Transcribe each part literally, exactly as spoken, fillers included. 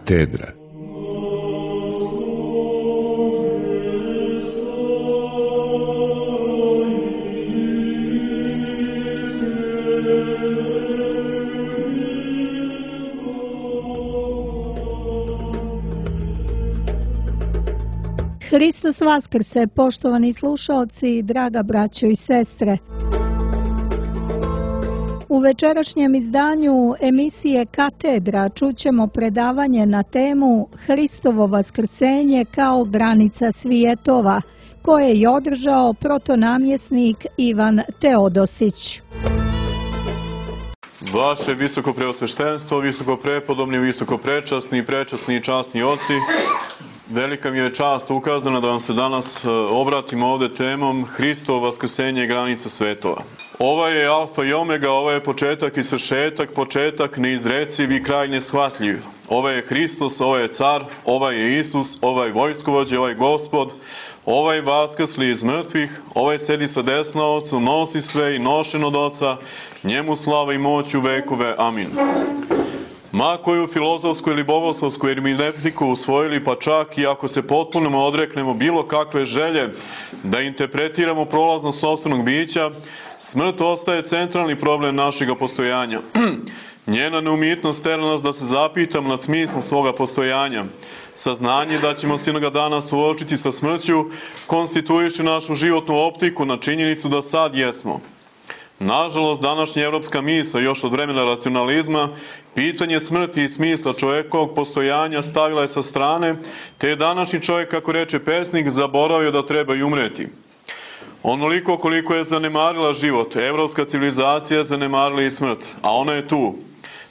Katedra. Hristos vaskrse, poštovani slušaoci, draga braćo i sestre. U večerašnjem izdanju emisije Katedra čućemo predavanje na temu Hristovo vaskrsenje kao granica svjetova, koje je održao protonamjesnik Ivan Teodosić. Vaše visoko preosveštenstvo, visoko prepodobni, visoko prečasni, prečasni i časni oci, velika mi je čast ukazana da vam se danas obratimo ovde temom Hristovo vaskrsenje i granica svetova. Ovo je alfa i omega, ovo je početak i svršetak, početak neizreciv i kraj neshvatljiv. Ovo je Hristos, ovo je car, ovaj je Isus, ovaj vojskovođe, ovaj gospod, ovaj vaskrsli iz mrtvih, ovaj sedi sa desna oca, nosi sve i nošen od oca, njemu slava i moć u vekove. Amin. Ma koju filozofsku ili bogoslovsku hermeneutiku usvojili, pa čak i ako se potpuno odreknemo bilo kakve želje da interpretiramo prolaznost sopstvenog bića, smrt ostaje centralni problem našega postojanja. Njena neumitnost tera nas da se zapitamo nad smislom svoga postojanja. Saznanje da ćemo se jednoga dana suočiti sa smrću konstituiše našu životnu optiku na činjenicu da sad jesmo. Nažalost, današnja evropska misla, još od vremena racionalizma, pitanje smrti i smisla čovjekovog postojanja stavila je sa strane, te je današnji čovjek, kako reče pesnik, zaboravio da treba i umreti. Onoliko koliko je zanemarila život, evropska civilizacija je zanemarila i smrt, a ona je tu.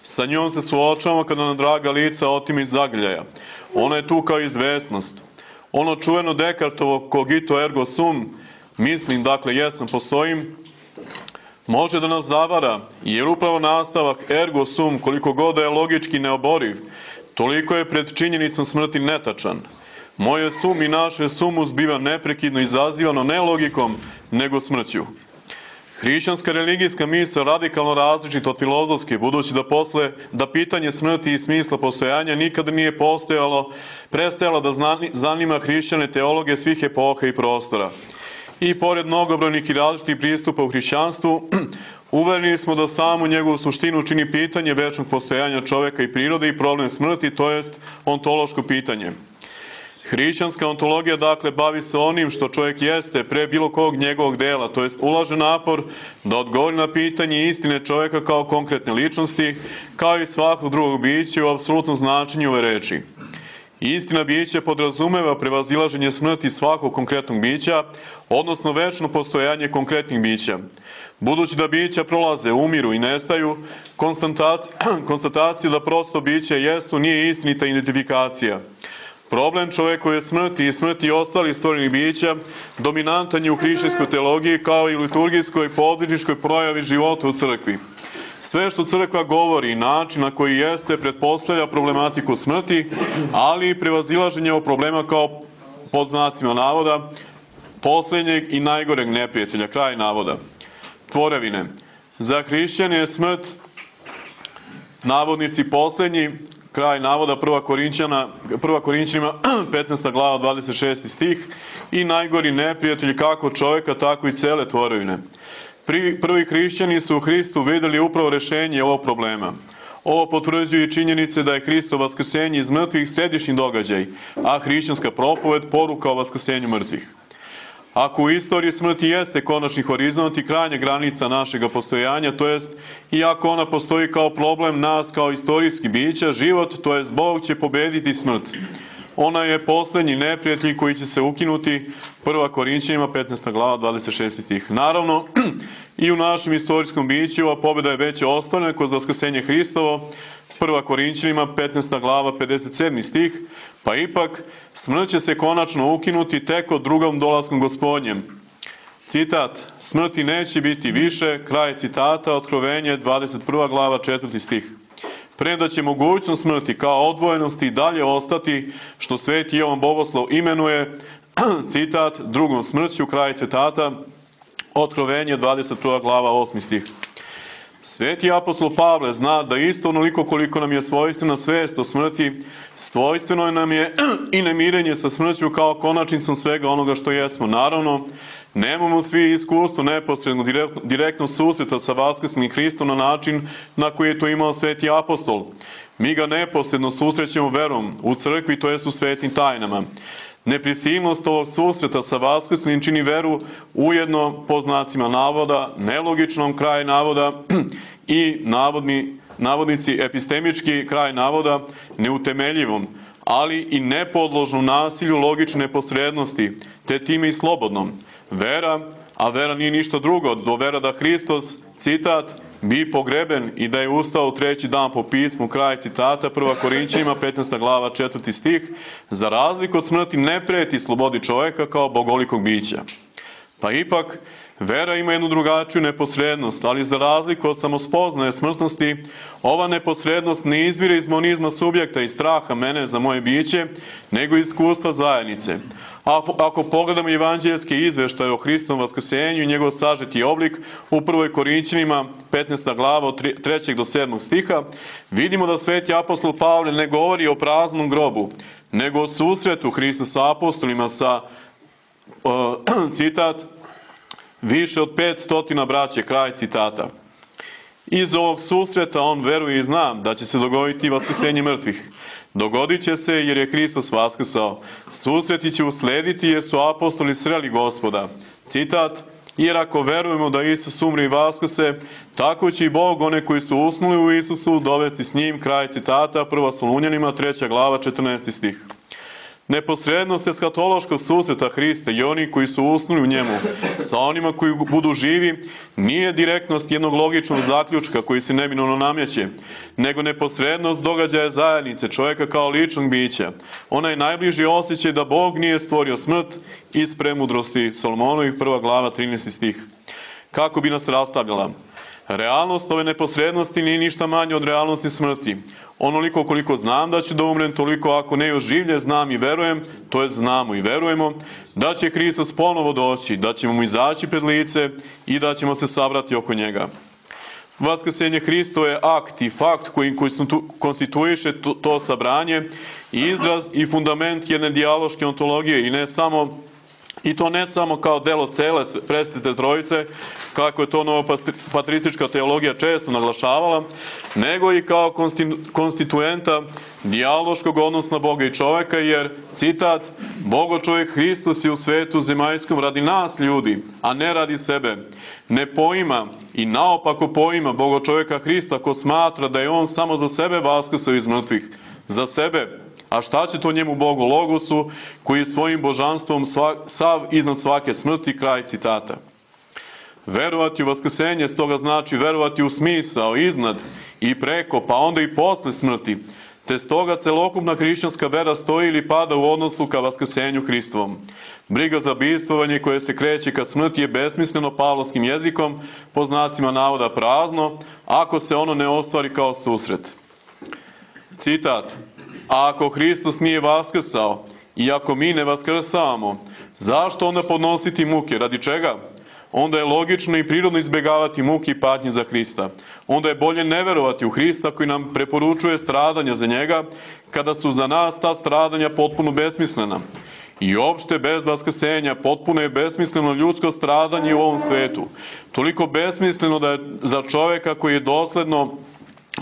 Sa njom se suočavamo kada nam draga lica otime iz zagrljaja. Ona je tu kao izvesnost. Ono čuveno Dekartovo cogito ergo sum, mislim, dakle, jesam, postojim, može da nas zavara, jer upravo nastavak ergo sum, koliko god da je logički neoboriv, toliko je pred činjenicom smrti netačan. Moje sum i naše sumus biva neprekidno izazivano ne logikom, nego smrću. Hrišćanska religijska misla radikalno različita od filozofske, budući da posle da pitanje smrti i smisla postojanja nikada nije postojalo, prestajalo da zanima hrišćane teologe svih epoha i prostora. I pored mnogobrojnih i različitih pristupa u hrišćanstvu, uvereni smo da samu njegovu suštinu čini pitanje večnog postojanja čoveka i prirode i problem smrti, to jest ontološko pitanje. Hrišćanska ontologija, dakle, bavi se onim što čovjek jeste pre bilo kog njegovog dela, to jest ulaže napor da odgovori na pitanje istine čovjeka kao konkretne ličnosti, kao i svakog drugog bića u apsolutnom značenju ove reči. Istina bića podrazumeva prevazilaženje smrti svakog konkretnog bića, odnosno večno postojanje konkretnih bića. Budući da bića prolaze, umiru i nestaju, konstatacija da prosto biće jesu nije istinita identifikacija. Problem čovekove smrti i smrti ostalih stvorenih bića dominantan je u hrišćanskoj teologiji kao i u liturgijskoj podvižničkoj projavi života u crkvi. Sve što crkva govori i način na koji jeste pretpostavlja problematiku smrti, ali i prevazilaženje ovog problema kao, pod znacima navoda, posljednjeg i najgoreg neprijatelja, kraj navoda. Tvorevine. Za hrišćane je smrt, navodnici posljednji, kraj navoda, prva Korinćana, prva Korinćanima, petnaesta glava, dvadeset šesti stih, i najgori neprijatelj kako čovjeka, tako i cele tvorevine. Prvi hrišćani su u Hristu vidjeli upravo rešenje ovog problema. Ovo potvrđuju i činjenice da je Hristovo vaskrsenje iz mrtvih središnji događaj, a hrišćanska propoved poruka o vaskrsenju mrtvih. Ako u istoriji smrti jeste konačni horizont i krajnja granica našega postojanja, to jest i ako ona postoji kao problem nas kao istorijski bića, život, to jest Bog će pobediti smrt. Ona je posljednji neprijatelj koji će se ukinuti, prva Korinćanima, petnaesta glava, dvadeset šesti stih. Naravno, i u našem istorijskom biću ova pobjeda je već ostvarena kroz vaskrsenje Hristovo, prva Korinćanima, petnaesta glava, pedeset sedmi stih, pa ipak smrt će se konačno ukinuti tek od drugom dolaskom Gospodnjem. Citat, smrti neće biti više, kraj citata, Otkrovenje, dvadeset prva glava, četvrti stih. Premda će mogućnost smrti kao odvojenosti i dalje ostati, što sveti Jovan Bogoslov imenuje, citat, drugom smrću, kraj citata, Otkrovenje, dvadeset prva glava, osmi stih. Sveti apostol Pavle zna da isto onoliko koliko nam je svojstvena svest o smrti, svojstveno nam je i nemirenje sa smrću kao konačnicom svega onoga što jesmo. Naravno, nemamo svi iskustvo neposredno, direktno, direktno susreta sa vaskrslim Hristom na način na koji je to imao sveti apostol. Mi ga neposredno susrećemo verom u crkvi, to jest u svetim tajnama. Neprisilnost ovog susreta sa vaskrslim čini veru ujedno, po znacima navoda, nelogičnom kraj navoda i navodni, navodnici epistemički kraj navoda neutemeljivom, ali i nepodložnu nasilju logične posrednosti, te time i slobodnom. Vera, a vera nije ništa drugo, do vera da Hristos, citat, bi pogreben i da je ustao treći dan po pismu, kraj citata, prva Korinćanima, petnaesta glava, četvrti stih, za razliku od smrti ne preti slobodi čovjeka kao bogolikog bića. Pa ipak, vera ima jednu drugačiju neposrednost, ali za razliku od samospoznaje smrtnosti, ova neposrednost ne izvire iz monizma subjekta i straha mene za moje biće, nego iz iskustva zajednice. Ako, ako pogledamo evanđeljske izveštaje o Hristovom vaskrsenju i njegov sažeti oblik u prvoj Korinćanima, petnaesta glava od trećeg do sedmog stiha, vidimo da sveti apostol Pavle ne govori o praznom grobu, nego o susretu Hrista sa apostolima sa, uh, citat, više od pet stotina braće, kraj citata. Iz ovog susreta on veruje i zna da će se dogoditi vaskrsenje mrtvih. Dogodit će se jer je Hristos vaskrsao. Susreti će uslediti jer su apostoli sreli Gospoda. Citat, jer ako verujemo da Isus umre i vaskrse, tako će i Bog one koji su usnuli u Isusu dovesti s njim, kraj citata, prva Solunjanima, treća glava, četrnaesti stih. Neposrednost eskatološkog susreta Hrista i oni koji su usnuli u njemu sa onima koji budu živi nije direktnost jednog logičnog zaključka koji se neminovno namjeće, nego neposrednost događaja zajednice čovjeka kao ličnog bića. Ona je najbliži osjećaj da Bog nije stvorio smrt iz premudrosti Solomonovih, prva glava, trinaesti stih. Kako bi nas rastavljala? Realnost ove neposrednosti nije ništa manje od realnosti smrti. Onoliko koliko znam da ću da umrem, toliko ako ne još življe znam i verujem, to je znamo i verujemo, da će Hristos ponovo doći, da ćemo mu izaći pred lice i da ćemo se sabrati oko njega. Vaskrsenje Hristo je akt i fakt koji konstituiše to, to sabranje i izraz i fundament jedne dijaloške ontologije i ne samo I to ne samo kao delo cele presvetite trojice, kako je to novopatristička teologija često naglašavala, nego i kao konstituenta dijaloškog odnosa Boga i čoveka, jer, citat, Bogo čovjek Hristos je u svetu zemaljskom radi nas ljudi, a ne radi sebe. Ne poima i naopako poima Bogo čovjeka Hrista ko smatra da je on samo za sebe vaskrsao iz mrtvih. Za sebe. A šta će to njemu Bogu Logosu, koji je svojim božanstvom sva, sav iznad svake smrti, kraj citata. Verovati u vaskrsenje stoga znači verovati u smisao, iznad i preko, pa onda i posle smrti. Te stoga celokupna hrišćanska vera stoji ili pada u odnosu ka vaskrsenju Hristovom. Briga za bivstvovanje koje se kreće ka smrti je besmisleno pavlovskim jezikom, po znacima navoda prazno, ako se ono ne ostvari kao susret. Citat. A ako Hristos nije vaskrsao i ako mi ne vaskrsavamo, zašto onda podnositi muke? Radi čega? Onda je logično i prirodno izbjegavati muke i patnje za Hrista. Onda je bolje ne verovati u Hrista koji nam preporučuje stradanja za njega, kada su za nas ta stradanja potpuno besmislena. I opšte bez vaskrsenja potpuno je besmisleno ljudsko stradanje u ovom svetu. Toliko besmisleno da je za čovjeka koji je dosledno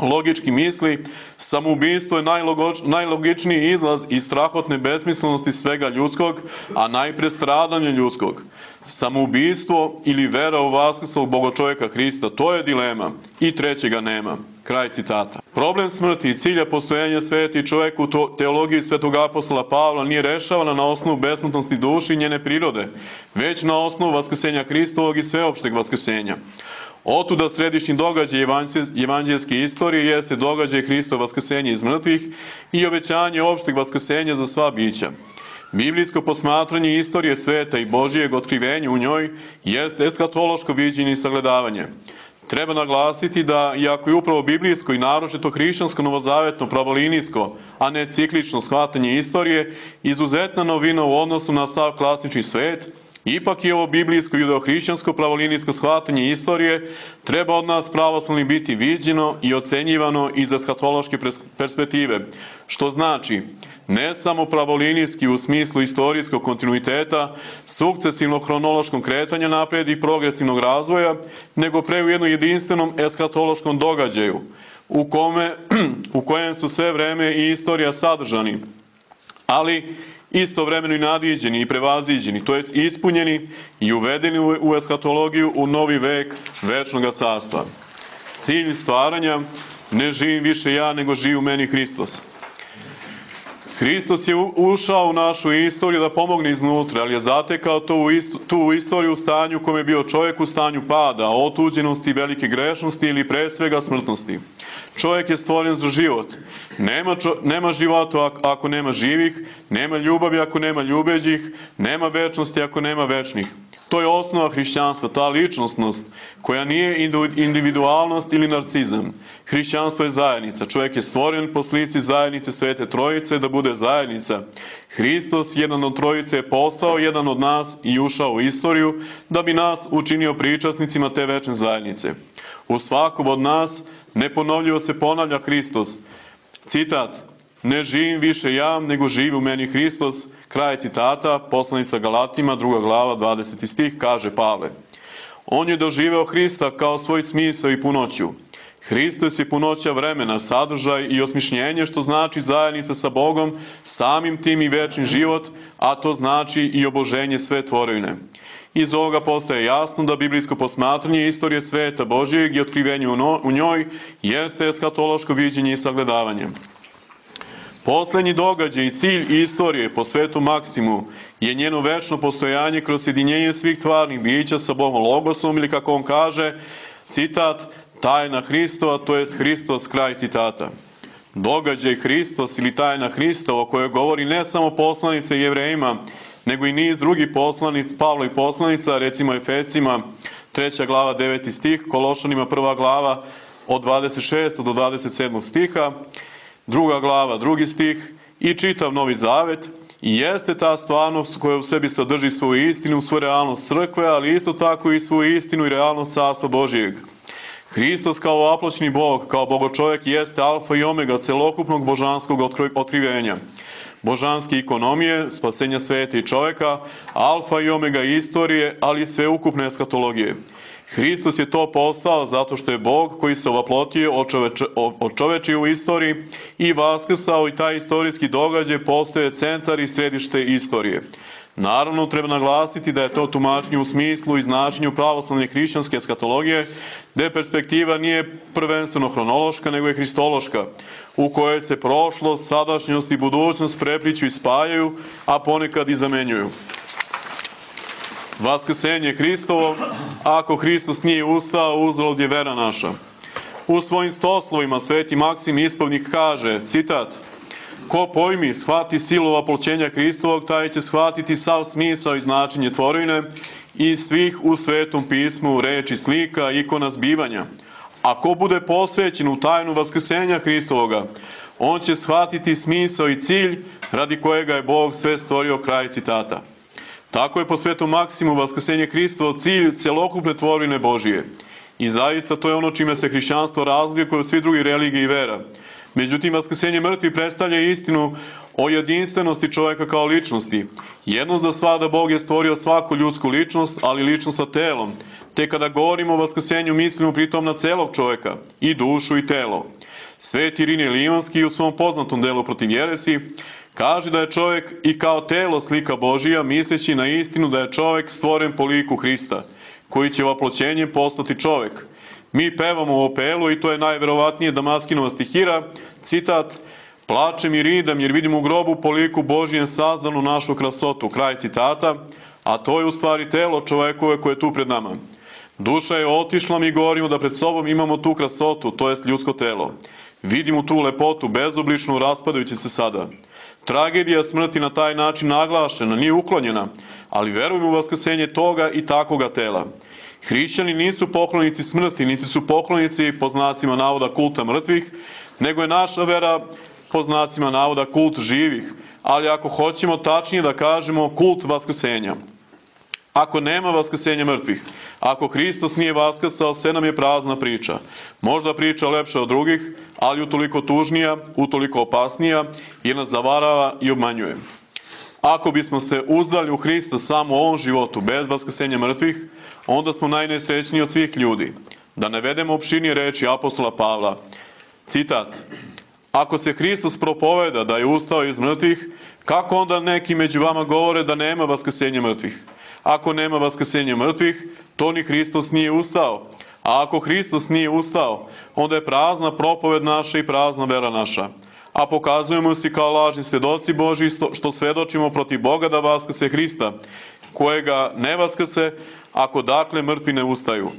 logički misli, samoubistvo je najlogičniji izlaz iz strahotne besmislenosti svega ljudskog, a najpre stradanje ljudskog. Samoubistvo ili vera u vaskrslog Bogočovjeka Hrista, to je dilema i trećega nema. Kraj citata. Problem smrti i cilja postojanja sveti čovjeka u teologiji svetog apostola Pavla nije rešavana na osnovu besmrtnosti duši i njene prirode, već na osnovu vaskrsenja Hristovog i sveopšteg vaskrsenja. Otuda središnji događaj evanđeljske istorije jeste događaj Hristova vaskrsenja iz mrtvih i obećanje opšteg vaskrsenja za sva bića. Biblijsko posmatranje istorije sveta i Božijeg otkrivenja u njoj jeste eskatološko viđenje i sagledavanje. Treba naglasiti da, iako je upravo biblijsko i naročito hrišćansko novozavetno pravolinijsko, a ne ciklično shvatanje istorije, izuzetna novina u odnosu na sav klasični svet, Ipak je ovo biblijsko judeohrišćansko pravolinijsko shvatanje istorije treba od nas pravoslavni biti viđeno i ocenjivano iz eskatološke perspektive, što znači ne samo pravolinijski u smislu istorijskog kontinuiteta, sukcesivnog hronološkog kretanja naprijed i progresivnog razvoja, nego pre u jednom jedinstvenom eskatološkom događaju, u, kome, u kojem su sve vreme i istorija sadržani, ali istovremeno i nadiđeni i prevaziđeni, to jest ispunjeni i uvedeni u eskatologiju u novi vek večnog carstva. Cilj stvaranja: ne živim više ja, nego živi u meni Hristos. Hristos je ušao u našu istoriju da pomogne iznutra, ali je zatekao to u istu, tu istoriju u stanju u kojem je bio čovjek u stanju pada, otuđenosti, velike grešnosti ili pre svega smrtnosti. Čovjek je stvoren za život. Nema, čo, nema života ako nema živih, nema ljubavi ako nema ljubeđih, nema večnosti ako nema večnih. To je osnova hrišćanstva, ta ličnostnost, koja nije individualnost ili narcizam. Hrišćanstvo je zajednica. Čovjek je stvoren po slici zajednice Svete Trojice da bude zajednica. Hristos, jedan od Trojice, je postao jedan od nas i ušao u istoriju da bi nas učinio pričasnicima te večne zajednice. U svakom od nas neponovljivo se ponavlja Hristos. Citat: ne živim više ja, nego živi u meni Hristos. Kraj citata, poslanica Galatima, druga glava, dvadeseti stih, kaže Pavle. On je doživeo Hrista kao svoj smisao i punoću. Hristos je punoća vremena, sadržaj i osmišljenje, što znači zajednica sa Bogom, samim tim i večni život, a to znači i oboženje sve tvorevine. Iz ovoga postaje jasno da biblijsko posmatranje istorije sveta Božijeg i otkrivenje u njoj jeste eskatološko viđenje i sagledavanje. Poslednji događaj i cilj istorije po svetu Maksimu je njeno večno postojanje kroz sjedinjenje svih tvarnih bića sa Bogom Logosom, ili kako on kaže, citat, tajna Hristova, to jest Hristos, kraj citata. Događaj Hristos ili tajna Hristova, o kojoj govori ne samo poslanice Jevrejima, nego i niz drugih poslanic, Pavla i poslanica, recimo Efesima, treća glava, deveti stih, Kološanima, prva glava, od dvadeset šestog do dvadeset sedmog stiha, druga glava, drugi stih i čitav Novi Zavet, i jeste ta stvarnost koja u sebi sadrži svoju istinu, svoju realnost crkve, ali isto tako i svoju istinu i realnost Carstva Božijeg. Hristos kao apločni Bog, kao Bogočovjek, jeste alfa i omega celokupnog božanskog otkrivenja, božanske ekonomije, spasenja sveta i čovjeka, alfa i omega istorije, ali i sveukupne eskatologije. Hristos je to postao zato što je Bog koji se ovaplotio, očovečio u istoriji i vaskrsao, i taj istorijski događaj postaje centar i središte istorije. Naravno, treba naglasiti da je to tumačenje u smislu i značenju pravoslavne hrišćanske eskatologije, gde perspektiva nije prvenstveno hronološka, nego je hristološka, u kojoj se prošlost, sadašnjost i budućnost prepliću i spajaju, a ponekad i zamenjuju. Vaskrsenje Hristovo: ako Hristos nije ustao, uzalud je vera naša. U svojim stoslovima Sveti Maksim Ispovnik kaže, citat, ko pojmi, shvati silu oploćenja Hristovog, taj će shvatiti sav smisao i značenje tvorevine i svih u Svetom pismu reči, slika, ikona zbivanja. A ko bude posvećen u tajnu vaskrsenja Hristovoga, on će shvatiti smisao i cilj radi kojega je Bog sve stvorio, kraj citata. Tako je po Svetom Maksimu vaskrsenje Hristovo cilj celokupne tvorevine Božije. I zaista to je ono čime se hrišćanstvo razlikuje od svih drugih religija i vera. Međutim, vaskrsenje mrtvih predstavlja istinu o jedinstvenosti čovjeka kao ličnosti. Jedno za sva da Bog je stvorio svaku ljudsku ličnost, ali ličnost sa telom. Te kada govorimo o vaskrsenju, mislimo pritom na celog čovjeka, i dušu i telo. Sveti Irinije Livanski u svom poznatom delu protiv jeresi kaže da je čovjek i kao telo slika Božija, misleći na istinu da je čovjek stvoren po liku Hrista, koji će vaploćenjem postati čovjek. Mi pevamo u opelu, i to je najverovatnije Damaskinova stihira, citat, plačem i ridam jer vidim u grobu po liku Božijem sazdanu našu krasotu, kraj citata, a to je u stvari telo čovjekove koje je tu pred nama. Duša je otišla, mi govorimo da pred sobom imamo tu krasotu, to jest ljudsko telo. Vidimo tu lepotu, bezobličnu, raspadajući se sada. Tragedija smrti na taj način naglašena, nije uklonjena, ali verujemo u vaskrsenje toga i takoga tela. Hrišćani nisu poklonici smrti, niti su poklonici, po znacima navoda, kulta mrtvih, nego je naša vera, po znacima navoda, kult živih, ali ako hoćemo tačnije da kažemo, kult vaskrsenja. Ako nema vaskrsenja mrtvih, ako Hristos nije vaskrsao, sve nam je prazna priča. Možda priča lepša od drugih, ali utoliko tužnija, utoliko opasnija, jer nas zavarava i obmanjuje. Ako bismo se uzdali u Hrista samo u ovom životu, bez vaskrsenja mrtvih, onda smo najnesrećniji od svih ljudi. Da navedemo opširnije reči apostola Pavla. Citat: ako se Hristos propoveda da je ustao iz mrtvih, kako onda neki među vama govore da nema vaskrsenja mrtvih? Ako nema vaskrsenja mrtvih, to ni Hristos nije ustao. A ako Hristos nije ustao, onda je prazna propoved naša i prazna vera naša. A pokazujemo se kao lažni svedoci Božji, što svedočimo protiv Boga da vaskrse Hrista, kojega ne vaskrse, ako dakle mrtvi ne ustaju.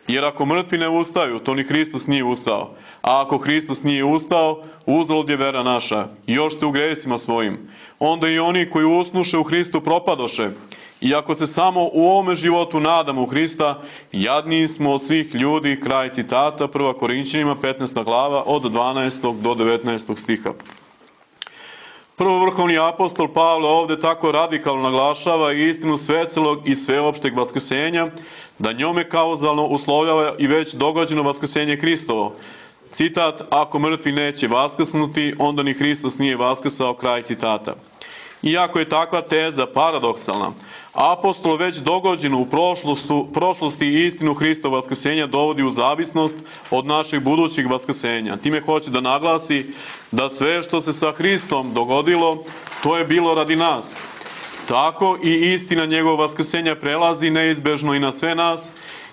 Jer ako mrtvi ne ustaju, to ni Hristos nije ustao. A ako Hristos nije ustao, uzalud je vera naša, još ste u gresima svojim. Onda i oni koji usnuše u Hristu propadoše. I ako se samo u ovome životu nadamo u Hrista, jadniji smo od svih ljudi. Kraj citata, prva Korinćanima, petnaesta glava, od dvanaestog do devetnaestog stiha. Prvovrhovni apostol Pavle ovde tako radikalno naglašava istinu svecelog i sveopšteg vaskrsenja, da njome kauzalno uslovljava i već događeno vaskrsenje Hristovo. Citat: ako mrtvi neće vaskrsnuti, onda ni Hristos nije vaskrsao. Kraj citata. Iako je takva teza paradoksalna, apostol već dogođeno u prošlosti istinu Hristov vaskrsenja dovodi u zavisnost od našeg budućeg vaskrsenja. Time hoće da naglasi da sve što se sa Hristom dogodilo, to je bilo radi nas. Tako i istina njegovog vaskrsenja prelazi neizbežno i na sve nas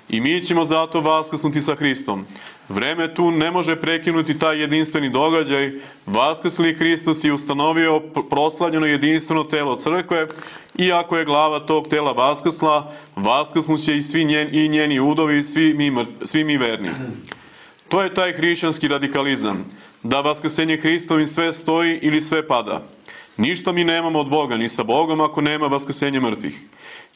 i mi ćemo zato vaskrsnuti sa Hristom. Vreme tu ne može prekinuti taj jedinstveni događaj. Vaskrsli Hristos je ustanovio proslavljeno jedinstveno telo crkve, i ako je glava tog tela vaskrsla, vaskrsnuće i svi njen, i njeni udovi, svi mi, svi mi verni. To je taj hrišćanski radikalizam, da vaskrsenje Hristovim sve stoji ili sve pada. Ništa mi nemamo od Boga, ni sa Bogom, ako nema vaskrsenja mrtvih.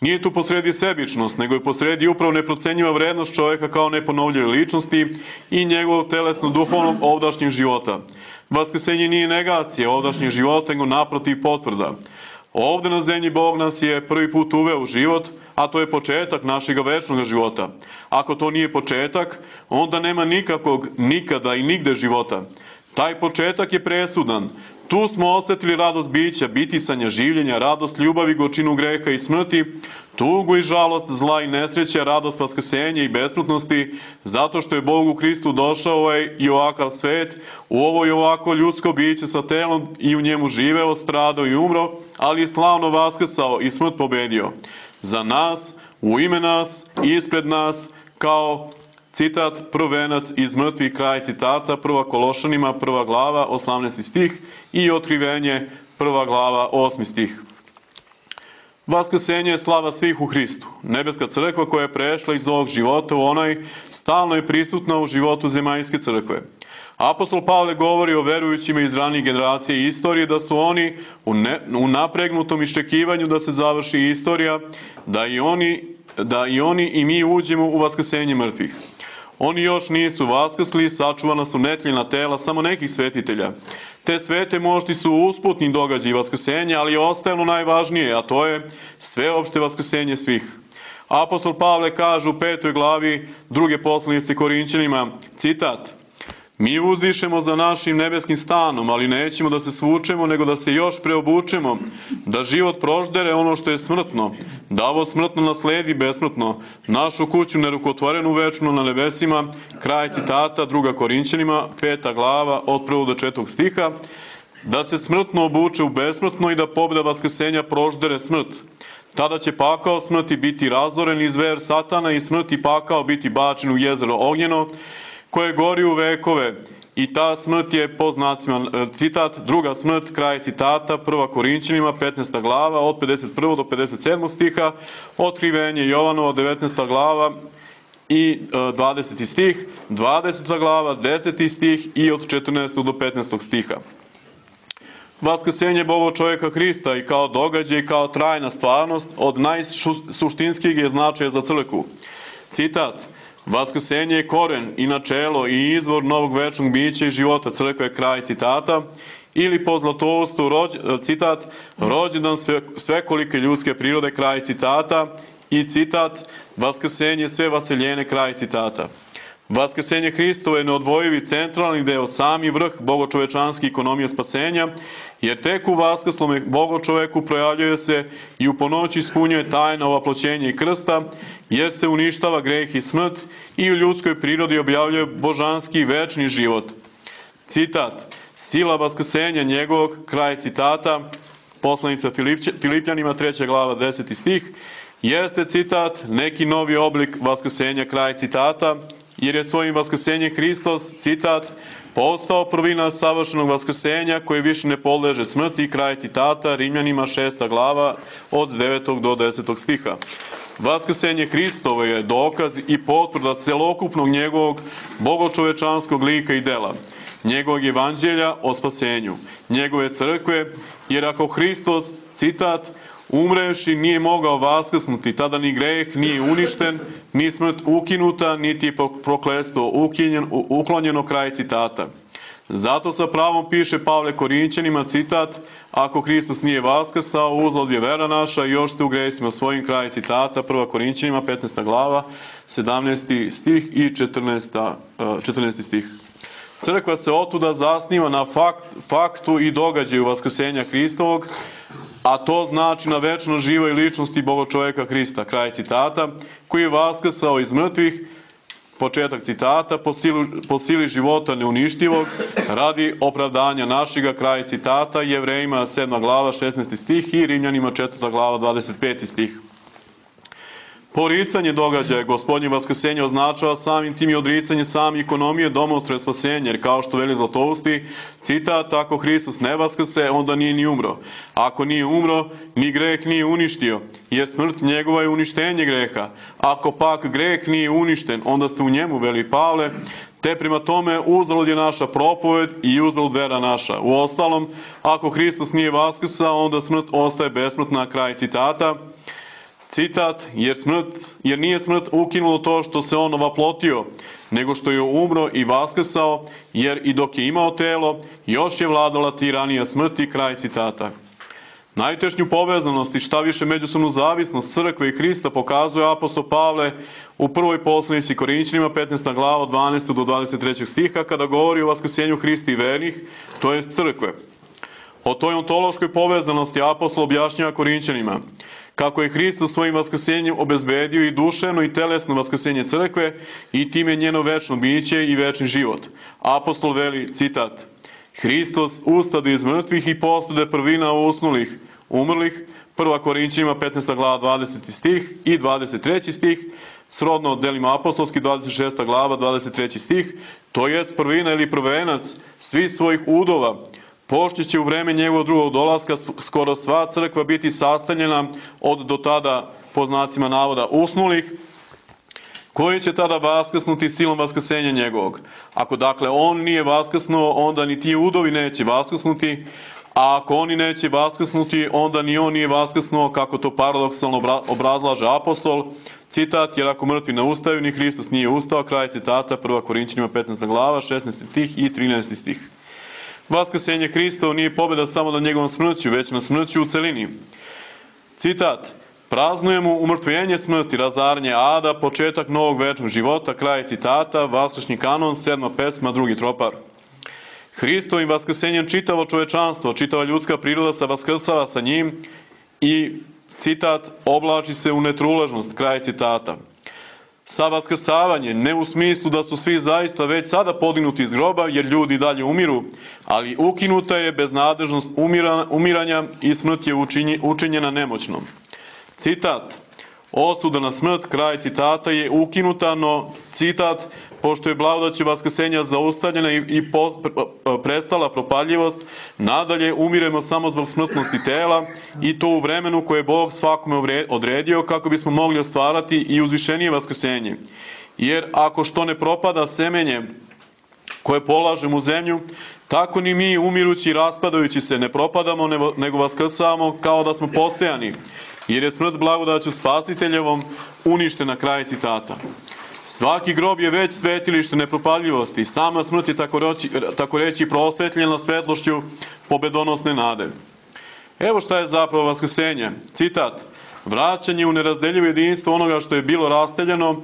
Nije tu posredi sebičnost, nego je posredi upravo neprocenjiva vrednost čovjeka kao neponovljive ličnosti i njegovog telesno-duhovnog ovdašnjeg života. Vaskrsenje nije negacija ovdašnjeg života, nego naprotiv potvrda. Ovde na zemlji Bog nas je prvi put uveo u život, a to je početak našeg večnog života. Ako to nije početak, onda nema nikakvog, nikada i nigde života. Taj početak je presudan. Tu smo osjetili radost bića, bitisanja, življenja, radost ljubavi, gorčinu greha i smrti, tugu i žalost, zla i nesreća, radost vaskrsenja i besmrtnosti, zato što je Bog u Hristu došao ovaj i ovakav svet, u ovo i ovako ljudsko biće sa telom i u njemu živeo, stradao i umro, ali je slavno vaskrsao i smrt pobedio. Za nas, u ime nas, ispred nas, kao citat prvenac iz mrtvih, kraj citata, prva Kološanima, prva glava, osamnaesti stih, i Otkrivenje, prva glava, osmi stih. Vaskrsenje je slava svih u Hristu. Nebeska crkva koja je prešla iz ovog života u onaj, stalno je prisutna u životu zemaljske crkve. Apostol Pavle govori o verujućima iz ranijih generacija i istorije, da su oni u, ne, u napregnutom iščekivanju da se završi istorija, da i oni, da i oni i mi uđemo u vaskrsenje mrtvih. Oni još nisu vaskrsli, sačuvana su netljena tela samo nekih svetitelja. Te svete mošti su usputni događaji vaskrsenja, ali je ostajano najvažnije, a to je sveopšte vaskrsenje svih. Apostol Pavle kaže u petoj glavi druge poslanice Korinćanima, citat: mi uzdišemo za našim nebeskim stanom, ali nećemo da se svučemo, nego da se još preobučemo, da život proždere ono što je smrtno, da ovo smrtno nasledi besmrtno, našu kuću nerukotvorenu večno na nebesima. Kraj citata, druga Korinćanima, peta glava, od prvog do četvrtog stiha, da se smrtno obuče u besmrtno i da pobjeda vaskrsenja proždere smrt. Tada će pakao smrti biti razoren i zver satana i smrt i pakao biti bačen u jezero ognjeno, koje gori u vekove, i ta smrt je po znacima, citat, druga smrt, kraj citata, prva Korinćanima, petnaesta glava, od pedeset prvog do pedeset sedmog stiha, Otkrivenje Jovanova, devetnaesta glava i dvadeseti stih, dvadeseta glava, deseti stih i od četrnaestog do petnaestog stiha. Vaskrsenje Boga čovjeka Hrista i kao događaj i kao trajna stvarnost od najsuštinskih je značaja za crkvu. Citat: vaskrsenje je koren i načelo i izvor novog večnog bića i života crkve, kraj citata, ili po zlatolstvu, citat, rođendan sve, svekolike ljudske prirode, kraj citata, i citat, vaskrsenje sve vaseljene, kraj citata. Vaskrsenje Hristovo je neodvojivi centralni deo, sami vrh bogočovečanske ekonomije spasenja, jer tek u vaskrslome bogočoveku projavljuje se i u ponoći ispunjuje tajna ovaploćenja i krsta, jer se uništava greh i smrt i u ljudskoj prirodi objavljuje božanski večni život. Citat, sila vaskrsenja njegovog, kraj citata, poslanica Filipljanima, treća glava, deseti stih, jeste, citat, neki novi oblik vaskrsenja, kraj citata, jer je svojim vaskrsenjem Hristos, citat, postao prvina savršenog vaskrsenja koji više ne podleže smrti, kraj citata, Rimljanima, šesta glava, od devetog do desetog stiha. Vaskrsenje Hristovo je dokaz i potvrda celokupnog njegovog bogočovečanskog lika i dela, njegovog evanđelja o spasenju, njegove crkve, jer ako Hristos, citat, umrevši nije mogao vaskrsnuti, tada ni greh nije uništen, ni smrt ukinuta, niti prokletstvo uklonjeno, kraj citata. Zato sa pravom piše Pavle Korinćanima, citat, ako Hristos nije vaskrsao, uzalud je vera naša i još ste u gresima svojim, kraj citata, prva Korinćanima, petnaesta glava, sedamnaesti stih i četrnaesti stih. Crkva se otuda zasniva na fakt, faktu i događaju vaskrsenja Hristovog, a to znači na večno živoj ličnosti Bogočoveka Hrista, kraj citata, koji je vaskrsao iz mrtvih, početak citata, po, silu, po sili života neuništivog, radi opravdanja našega, kraj citata, Jevrejima sedma glava, šesnaesti stih i Rimljanima četvrta glava, dvadeset peti stih. Poricanje događaja Gospodnje vaskrsenja označava samim tim i odricanje same ekonomije domostre spasenja, jer kao što veli Zlatousti, citat, ako Hristos ne vaskrse, onda nije ni umro. Ako nije umro, ni greh nije uništio, jer smrt njegova je uništenje greha. Ako pak greh nije uništen, onda ste u njemu, veli Pavle, te prema tome uzalud je naša propoved i uzalud vera naša. U ostalom, ako Hristos nije vaskrsao, onda smrt ostaje besmrtna, kraj citata. Citat, jer, smrt, jer nije smrt ukinulo to što se on ovaplotio, nego što je umro i vaskrsao, jer i dok je imao telo, još je vladala tiranija smrti, kraj citata. Najtešnju povezanost i šta više međusobnu zavisnost crkve i Hrista pokazuje apostol Pavle u prvoj poslanici Korinćanima, petnaesta glava, od dvanaestog do dvadeset trećeg stiha, kada govori o vaskrsenju Hrista i vernih, to je crkve. O toj ontološkoj povezanosti apostol objašnjava Korinćanima, kako je Hristos svojim vaskrsenjem obezbedio i duševno i telesno vaskrsenje crkve i time njeno večno biće i večni život. Apostol veli, citat, Hristos ustade iz mrtvih i postade prvina usnulih, umrlih, prva Korinćanima, petnaesta glava, dvadeseti stih i dvadeset treći stih, srodno delima apostolski, dvadeset šesta glava, dvadeset treći stih, to jest prvina ili prvenac svih svojih udova, pošto će u vreme njegovog drugog dolaska skoro sva crkva biti sastavljena od do tada, po znacima navoda, usnulih, koji će tada vaskrsnuti silom vaskrsenja njegovog. Ako dakle on nije vaskrsnuo, onda ni ti udovi neće vaskrsnuti, a ako oni neće vaskrsnuti, onda ni on nije vaskrsnuo, kako to paradoksalno obrazlaže apostol, citat, jer ako mrtvi ne ustaju, ni Hristos nije ustao, kraj citata, prva Korinćanima, petnaesta glava, šesnaesti stih i trinaesti stih. Vaskrsenje Hristovo nije pobjeda samo na njegovom smrću, već na smrću u celini. Citat, praznujemo umrtvenje smrti, razaranje ada, početak novog večnog života, kraj citata, vaskršnji kanon, sedma pesma, drugi tropar. Hristovim vaskrsenjem čitavo čovečanstvo, čitava ljudska priroda se vaskrsava sa njim i, citat, oblači se u netruležnost, kraj citata. Sa vaskrsavanjem, ne u smislu da su svi zaista već sada podignuti iz groba, jer ljudi dalje umiru, ali ukinuta je beznadežnost umiranja i smrt je učinjena nemoćnom. Citat, osuda na smrt, kraj citata, je ukinuta, no, citat, pošto je blagodaću vaskrsenja zaustavljena i, i po, prestala propaljivost, nadalje umiremo samo zbog smrtnosti tela i to u vremenu koje je Bog svakome odredio kako bismo mogli ostvarati i uzvišenije vaskrsenje. Jer ako što ne propada semenje koje polažemo u zemlju, tako ni mi umirući i raspadajući se ne propadamo, nego vaskrsavamo kao da smo posejani, jer je smrt blagodaću spasiteljevom uništena, kraj citata. Svaki grob je već svetilište nepropadljivosti, sama smrt je tako reći, tako reći prosvetljena svetlošću pobedonosne nade. Evo šta je zapravo vaskrsenje. Citat, vraćanje u nerazdeljivo jedinstvo onoga što je bilo rasteljeno,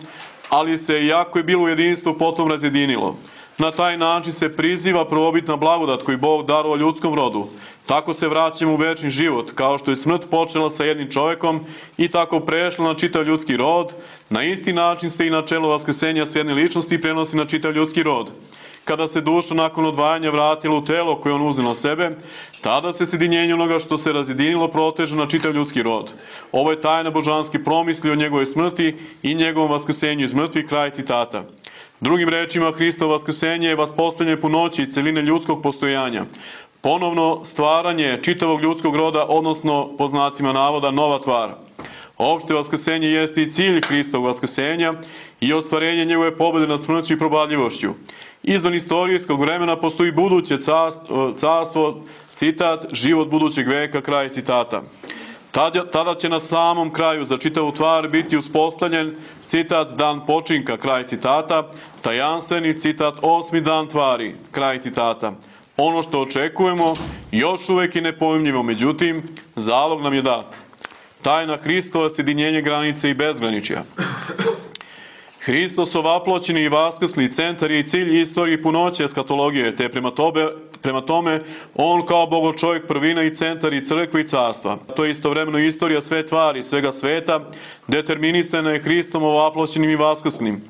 ali se, iako je bilo u jedinstvu, potom razjedinilo. Na taj način se priziva prvobitna blagodat koju Bog darovao ljudskom rodu. Tako se vraćamo u večni život, kao što je smrt počela sa jednim čovjekom i tako prešla na čitav ljudski rod, na isti način se i načelo vaskrsenja s jedne ličnosti prenosi na čitav ljudski rod. Kada se duša nakon odvajanja vratila u telo koje on uzeo na sebe, tada se sjedinjenje onoga što se razjedinilo proteže na čitav ljudski rod. Ovo je tajna božanski promisli o njegove smrti i njegovom vaskrsenju iz mrtvih, kraj citata. Drugim rečima, Hristovo vaskrsenje je vaspostavljanje punoći i celine ljudskog postojanja. Ponovno stvaranje čitavog ljudskog roda, odnosno, po znacima navoda, nova tvar. Opšte vaskrsenje jeste i cilj Hristovog vaskrsenja i ostvarenje njegove pobjede nad smrću i probadljivošću. Izvan istorijskog vremena postoji buduće carstvo, citat, život budućeg veka, kraj citata. Tada, tada će na samom kraju za čitavu tvar biti uspostavljen, citat, dan počinka, kraj citata, tajanstveni, citat, osmi dan tvari, kraj citata. Ono što očekujemo još uvijek je nepojmljivo, međutim, zalog nam je dat. Tajna Hristova sjedinjenje granice i bezgraničja. Hristos ovaploćeni i vaskrsli centar je i cilj istorije i punoće eskatologije, te prema tome, prema tome on kao Bogo čovjek prvina i centar i crkve i carstva. To je istovremeno istorija sve tvari, svega sveta, determinisana je Hristom ovaploćenim i vaskrslim,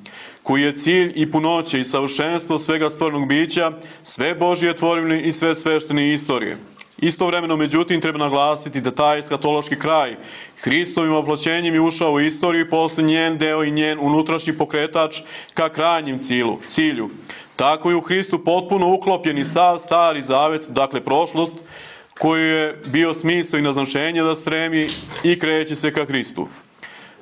koji je cilj i punoće i savršenstvo svega stvornog bića, sve Božje tvorevine i sve sveštene istorije. Istovremeno, međutim, treba naglasiti da taj eskatološki kraj Hristovim oploćenjem je ušao u istoriju i posle njen deo i njen unutrašnji pokretač ka krajnjem cilju. cilju. Tako je u Hristu potpuno uklopljen i sav stari zavet, dakle prošlost, koji je bio smisao i naznačenje da stremi i kreće se ka Hristu.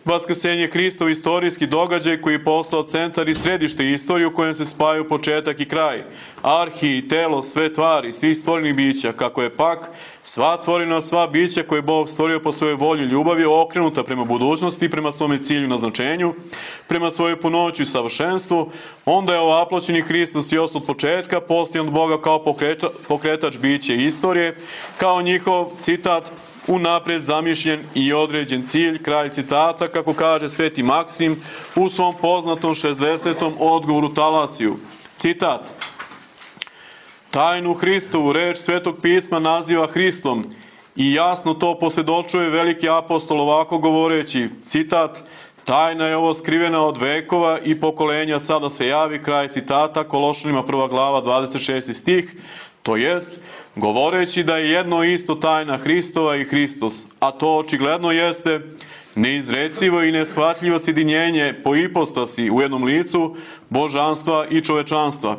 Vaskrsenje Hristov istorijski događaj koji je postao centar i središte istorije u kojem se spajaju početak i kraj, arhi, telo, sve tvari, svih stvorenih bića, kako je pak sva tvorina, sva bića koje je Bog stvorio po svojoj volji i ljubavi okrenuta prema budućnosti, prema svome cilju i naznačenju, prema svojoj punoći i savršenstvu, onda je ovaploćeni Hristos još od početka postojan od Boga kao pokreta, pokretač biće istorije, kao njihov, citat, unaprijed zamišljen i određen cilj, kraj citata, kako kaže Sveti Maksim u svom poznatom šezdesetom odgovoru Talasiju. Citat: tajnu Hristovu reč Svetog pisma naziva Hristom i jasno to posvjedočuje veliki apostol ovako govoreći, citat: tajna je ovo skrivena od vekova i pokolenja, sada se javi, kraj citata, Kološanima prva glava dvadeset šesti stih, to jest, govoreći da je jedno isto tajna Hristova i Hristos, a to očigledno jeste neizrecivo i neshvatljivo sjedinjenje po ipostasi u jednom licu božanstva i čovečanstva.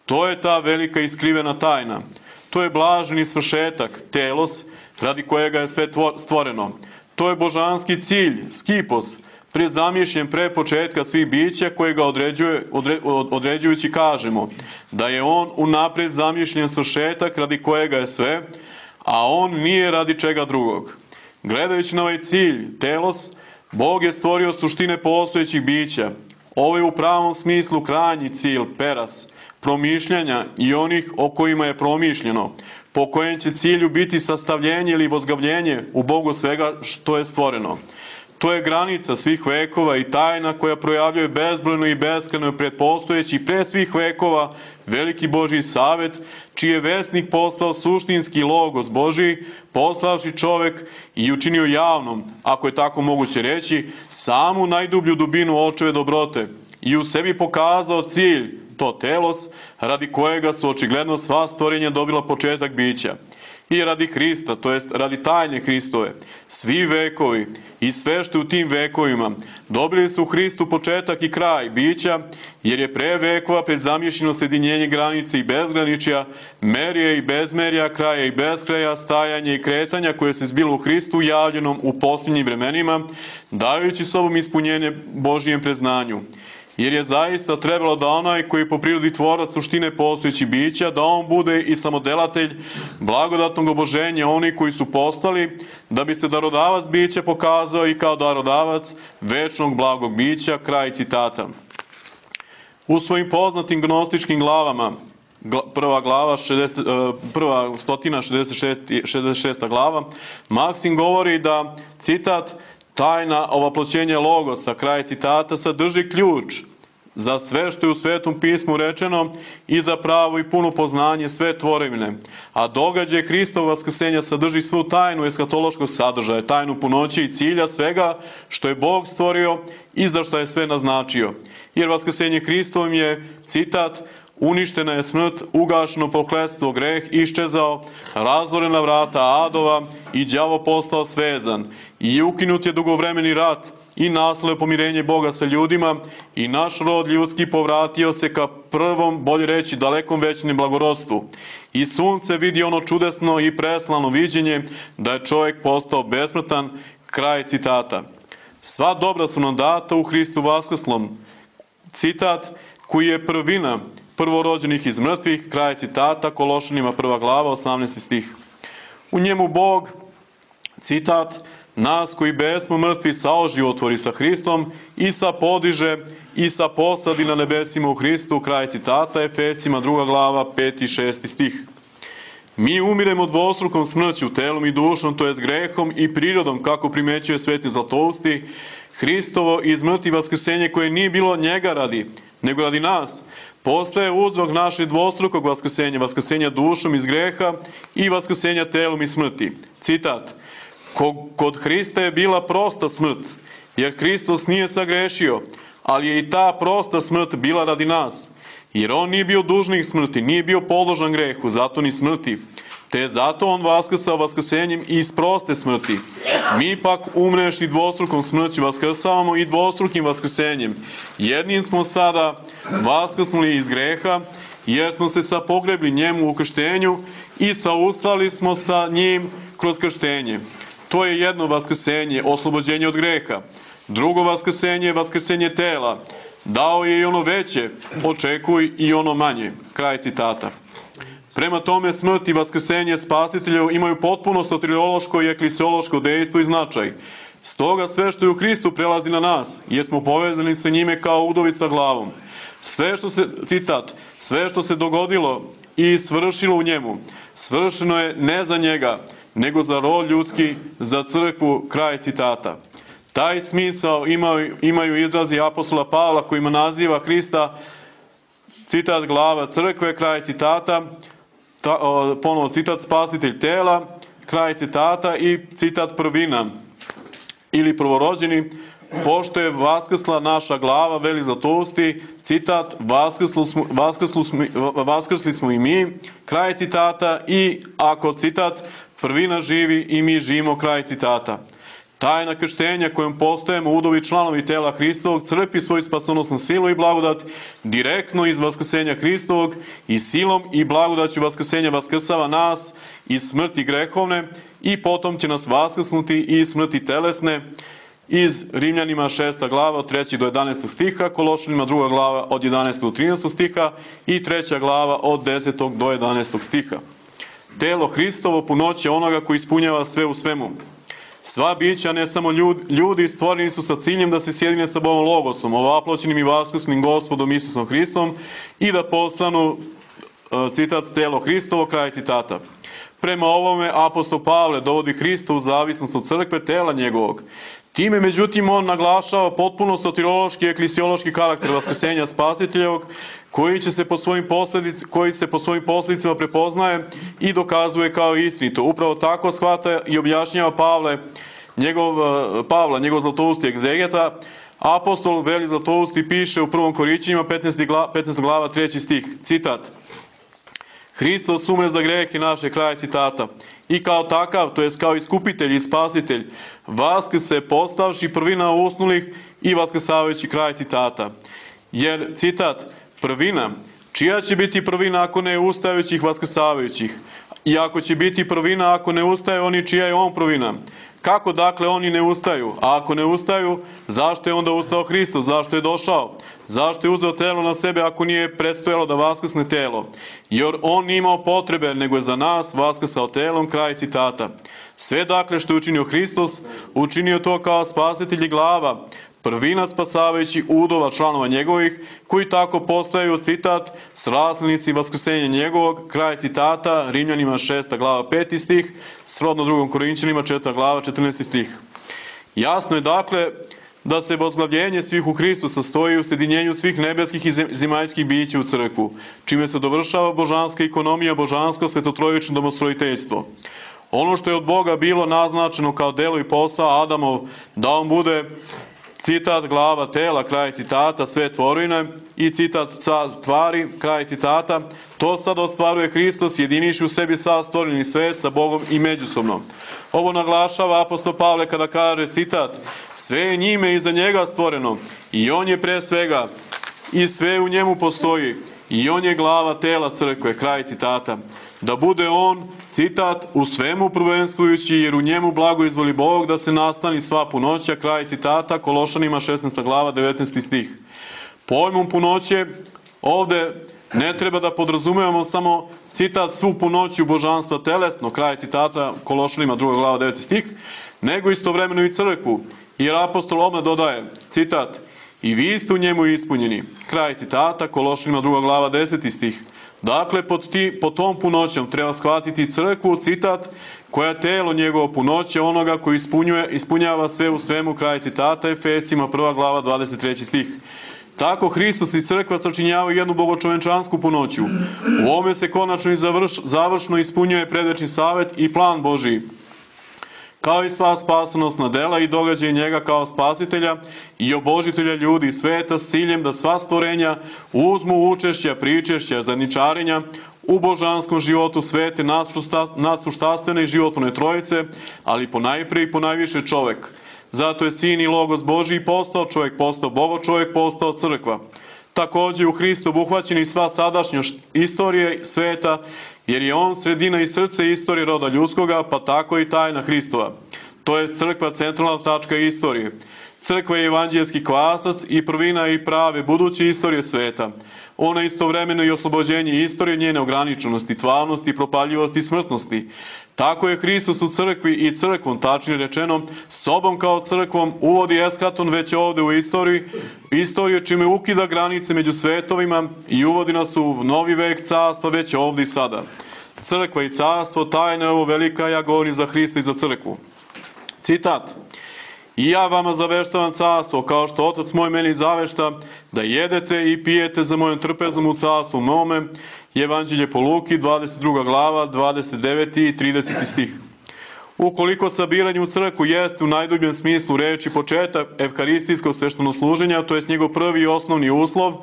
To je ta velika i skrivena tajna. To je blaženi svršetak, telos, radi kojega je sve stvoreno. To je božanski cilj, skipos, predzamišljen pre početka svih bića koje ga određuje, odre, određujući kažemo da je on unaprijed zamišljen svršetak radi kojega je sve, a on nije radi čega drugog. Gledajući na ovaj cilj, telos, Bog je stvorio suštine postojećih bića. Ovo je u pravom smislu krajnji cilj, peras, promišljanja i onih o kojima je promišljeno, po kojem će cilju biti sastavljenje ili vozgavljenje u Bogu svega što je stvoreno. To je granica svih vekova i tajna koja projavljuje bezbrojno i beskrajno predpostojeći pre svih vekova veliki Božji savet, čiji je vesnik postao suštinski logos Božji, poslavši čovek i učinio javnom, ako je tako moguće reći, samu najdublju dubinu očeve dobrote i u sebi pokazao cilj, to telos, radi kojega su očigledno sva stvorenja dobila početak bića. I radi Hrista, to jest radi tajne Hristove, svi vekovi i sve što u tim vekovima dobili su u Hristu početak i kraj bića, jer je pre vekova predzamišljeno sjedinjenje granice i bezgraničja, merije i bezmerja, kraja i beskraja, stajanje i kretanja koje se zbilo u Hristu javljenom u posljednjim vremenima, dajući sobom ispunjenje Božijem preznanju. Jer je zaista trebalo da onaj koji po prirodi tvorac suštine postojećih bića, da on bude i samodelatelj blagodatnog oboženja oni koji su postali, da bi se darodavac bića pokazao i kao darodavac večnog blagog bića, kraj citata. U svojim poznatim gnostičkim glavama, prva glava, šezdeset, prva stotina šezdeset šesta glava, Maksim govori da, citat, Tajna ovaploćenja Logosa, kraj citata, sadrži ključ za sve što je u Svetom pismu rečeno i za pravo i puno poznanje sve tvorevine. A događaj Hristovog vaskrsenja sadrži svu tajnu eskatološkog sadržaja, tajnu punoće i cilja svega što je Bog stvorio i za što je sve naznačio. Jer vaskrsenje Hristovim je, citat, uništena je smrt, ugašeno prokletstvo, greh iščezao, razorena vrata adova i đavo postao svezan i ukinut je dugovremeni rat i nastalo pomirenje Boga sa ljudima i naš rod ljudski povratio se ka prvom, bolje reći, dalekom većnem blagorodstvu. I sunce vidi ono čudesno i preslano viđenje da je čovjek postao besmrtan, kraj citata. Sva dobra su nam data u Hristu vaskrslom. Citat koji je prvina prvorođenih iz mrtvih, kraj citata, Kološanima prva glava, osamnaesti stih. U njemu Bog, citat, nas koji besmo mrtvi saoživotvori sa Hristom i sa podiže i sa posadi na nebesima u Hristu, kraj citata, Efesima druga glava, peti i šesti stih. Mi umiremo dvostrukom smrću, telom i dušom, to jest grehom i prirodom, kako primećuje Sveti Zlatousti, Hristovo iz mrtvih vaskrsenje koje nije bilo njega radi, nego radi nas, postaje uzrok naše dvostrukog vaskrsenja, vaskrsenja dušom iz greha i vaskrsenja telom iz smrti. Citat, kod Hrista je bila prosta smrt, jer Hristos nije sagrešio, ali je i ta prosta smrt bila radi nas, jer on nije bio dužnik smrti, nije bio podložan grehu, zato ni smrti, te zato on vaskrsao vaskrsenjem iz proste smrti. Mi pak umrešli dvostrukom smrću vaskrsavamo i dvostrukim vaskrsenjem. Jednim smo sada vaskrsnuli iz greha, jer smo se sapogrebli njemu u krštenju i saustali smo sa njim kroz krštenje. To je jedno vaskrsenje, oslobođenje od greha. Drugo vaskrsenje je vaskrsenje tela. Dao je i ono veće, očekuj i ono manje. Kraj citata. Prema tome, smrt i vaskrsenje spasitelja imaju potpuno soteriološko i eklesiološko dejstvo i značaj. Stoga sve što je u Hristu prelazi na nas, jer smo povezani sa njime kao udovi sa glavom. Sve što se, citat, sve što se dogodilo i svršilo u njemu, svršeno je ne za njega, nego za rod ljudski, za crkvu, kraj citata. Taj smisao imaju, imaju izrazi apostola Pavla kojima naziva Hrista, citat, glava crkve, kraj citata, ta, o, ponovo citat, spasitelj tela, kraj citata i citat prvina ili prvorođeni, pošto je vaskrsla naša glava, veli Zlatousti, citat, vaskrsli smo, vaskrsli smo, vaskrsli smo i mi, kraj citata, i ako, citat, prvina živi i mi živimo, kraj citata. Tajna krštenja kojom postajemo udovi članovi tela Hristovog crpi svoju spasonosnu silu i blagodat direktno iz vaskrsenja Hristovog i silom i blagodaću vaskrsenja vaskrsava nas iz smrti grehovne i potom će nas vaskrsnuti iz smrti telesne iz Rimljanima šesta glava od trećeg do jedanaestog stiha, Kološanima druga glava od jedanaestog do trinaestog stiha i treća glava od desetog do jedanaestog stiha. Telo Hristovo punoće onoga koji ispunjava sve u svemu. Sva bića, ne samo ljudi, stvoreni su sa ciljem da se sjedine sa Bogom Logosom, ovaploćenim i vaskrslim Gospodom Isusom Hristom i da postanu, citat, telo Hristovo, kraj citata. Prema ovome apostol Pavle dovodi Hrista u zavisnost od crkve tela njegovog. Time, međutim, on naglašava potpuno soteriološki i eklesiološki karakter vaskrsenja spasiteljevog, koji, će se po svojim posljedic, koji se po svojim posljedicama prepoznaje i dokazuje kao istinito. Upravo tako shvata i objašnjava Pavle, njegov, Pavla, njegov Zlatousti egzegeta. Apostol veli Zlatousti piše u prvom Korinćanima petnaesta glava treći stih, citat, Hristos umre za grehe naše, kraj citata. I kao takav, to jest kao iskupitelj i spasitelj, vaskrse postavši prvina usnulih i vaskrsavajući, kraj citata. Jer, citat, prvina, čija će biti prvina ako ne ustajućih vaskrsavajućih? I ako će biti prvina ako ne ustaje oni čija je on prvina? Kako dakle oni ne ustaju? A ako ne ustaju, zašto je onda ustao Hristos? Zašto je došao? Zašto je uzeo telo na sebe ako nije predstojalo da vaskrsne telo? Jer on nije imao potrebe, nego je za nas vaskrsao telom, kraj citata. Sve dakle što je učinio Hristos, učinio to kao spasitelj i glava, prvina spasavajući udova članova njegovih, koji tako postaju, citat, sraslenici vaskrsenja njegovog, kraj citata, Rimljanima šesta glava peti stih, srodno drugom Korinćanima četvrta glava četrnaesti stih. Jasno je dakle da se возглавljenje svih u Hristu sastoji u sjedinjenju svih nebeskih i zemaljskih bića u crkvu, čime se dovršava božanska ekonomija, božansko svetotrojično domostrojiteljstvo. Ono što je od Boga bilo naznačeno kao delo i posao Adamov, da on bude, citat, glava tela, kraj citata, sve tvorine, i citat, tvari, kraj citata, to sad ostvaruje Hristos, jediniši u sebi sav stvoreni svet sa Bogom i međusobno. Ovo naglašava apostol Pavle kada kaže, citat, sve je njime i za njega stvoreno, i on je pre svega, i sve u njemu postoji, i on je glava tela crkve, kraj citata. Da bude on, citat, u svemu prvenstvujući, jer u njemu blago izvoli Bog da se nastani sva punoća, kraj citata, Kološanima šesnaesta glava, devetnaesti stih. Pojmom punoće ovde ne treba da podrazumevamo samo, citat, svu punoću božanstva telesno, kraj citata, Kološanima druga glava, deveti stih, nego istovremeno i crkvu, jer apostol odmah dodaje, citat, i vi ste u njemu ispunjeni, kraj citata, Kološanima druga glava, deseti stih. Dakle, pod, ti, pod tom punoćom treba shvatiti crkvu, citat, koja je telo njegovo punoće, onoga koji ispunjuje, ispunjava sve u svemu, kraj citata, Efesima prva glava, dvadeset treći stih. Tako Hristos i crkva sačinjavaju jednu bogočovečansku punoću. U ovome se konačno i završ, završno ispunjuje predvečni savet i plan Božiji, kao i sva spasonosna dela i događaje njega kao spasitelja i obožitelja ljudi i sveta s ciljem da sva stvorenja uzmu učešća, pričešća, zadničarenja u božanskom životu svete nadsuštastvene i životvorne trojice, ali ponajprije i ponajviše čovek. Zato je Sin i Logos Božiji postao čovjek, postao Bogo čovjek, postao crkva. Također u Hristu obuhvaćeni i sva sadašnjost istorije sveta, jer je on sredina i srce istorije roda ljudskoga, pa tako i tajna Hristova. To je crkva centralna tačka istorije. Crkva je evanđelski kvasac i prvina i prave buduće istorije sveta. Ona je istovremeno i oslobođenje istorije njene ograničenosti, tvarnosti, propaljivosti i smrtnosti. Tako je Hristos u crkvi i crkvom, tačnije rečeno, sobom kao crkvom uvodi eskaton već ovde u istoriji, istoriju čime ukida granice među svetovima i uvodi nas u novi vek carstva već ovde i sada. Crkva i carstvo, tajna je ovo velika, ja govorim za Hrista i za crkvu. Citat. I ja vama zaveštavam carstvo, kao što Otac moj meni zavešta, da jedete i pijete za mojom trpezom u carstvu mome. Evanđelje po Luki, dvadeset druga glava, dvadeset deveti i trideseti stih. Ukoliko sabiranje u crkvu jeste u najdubljem smislu reči početak evkaristijskog sveštenosluženja, to je njegov prvi i osnovni uslov,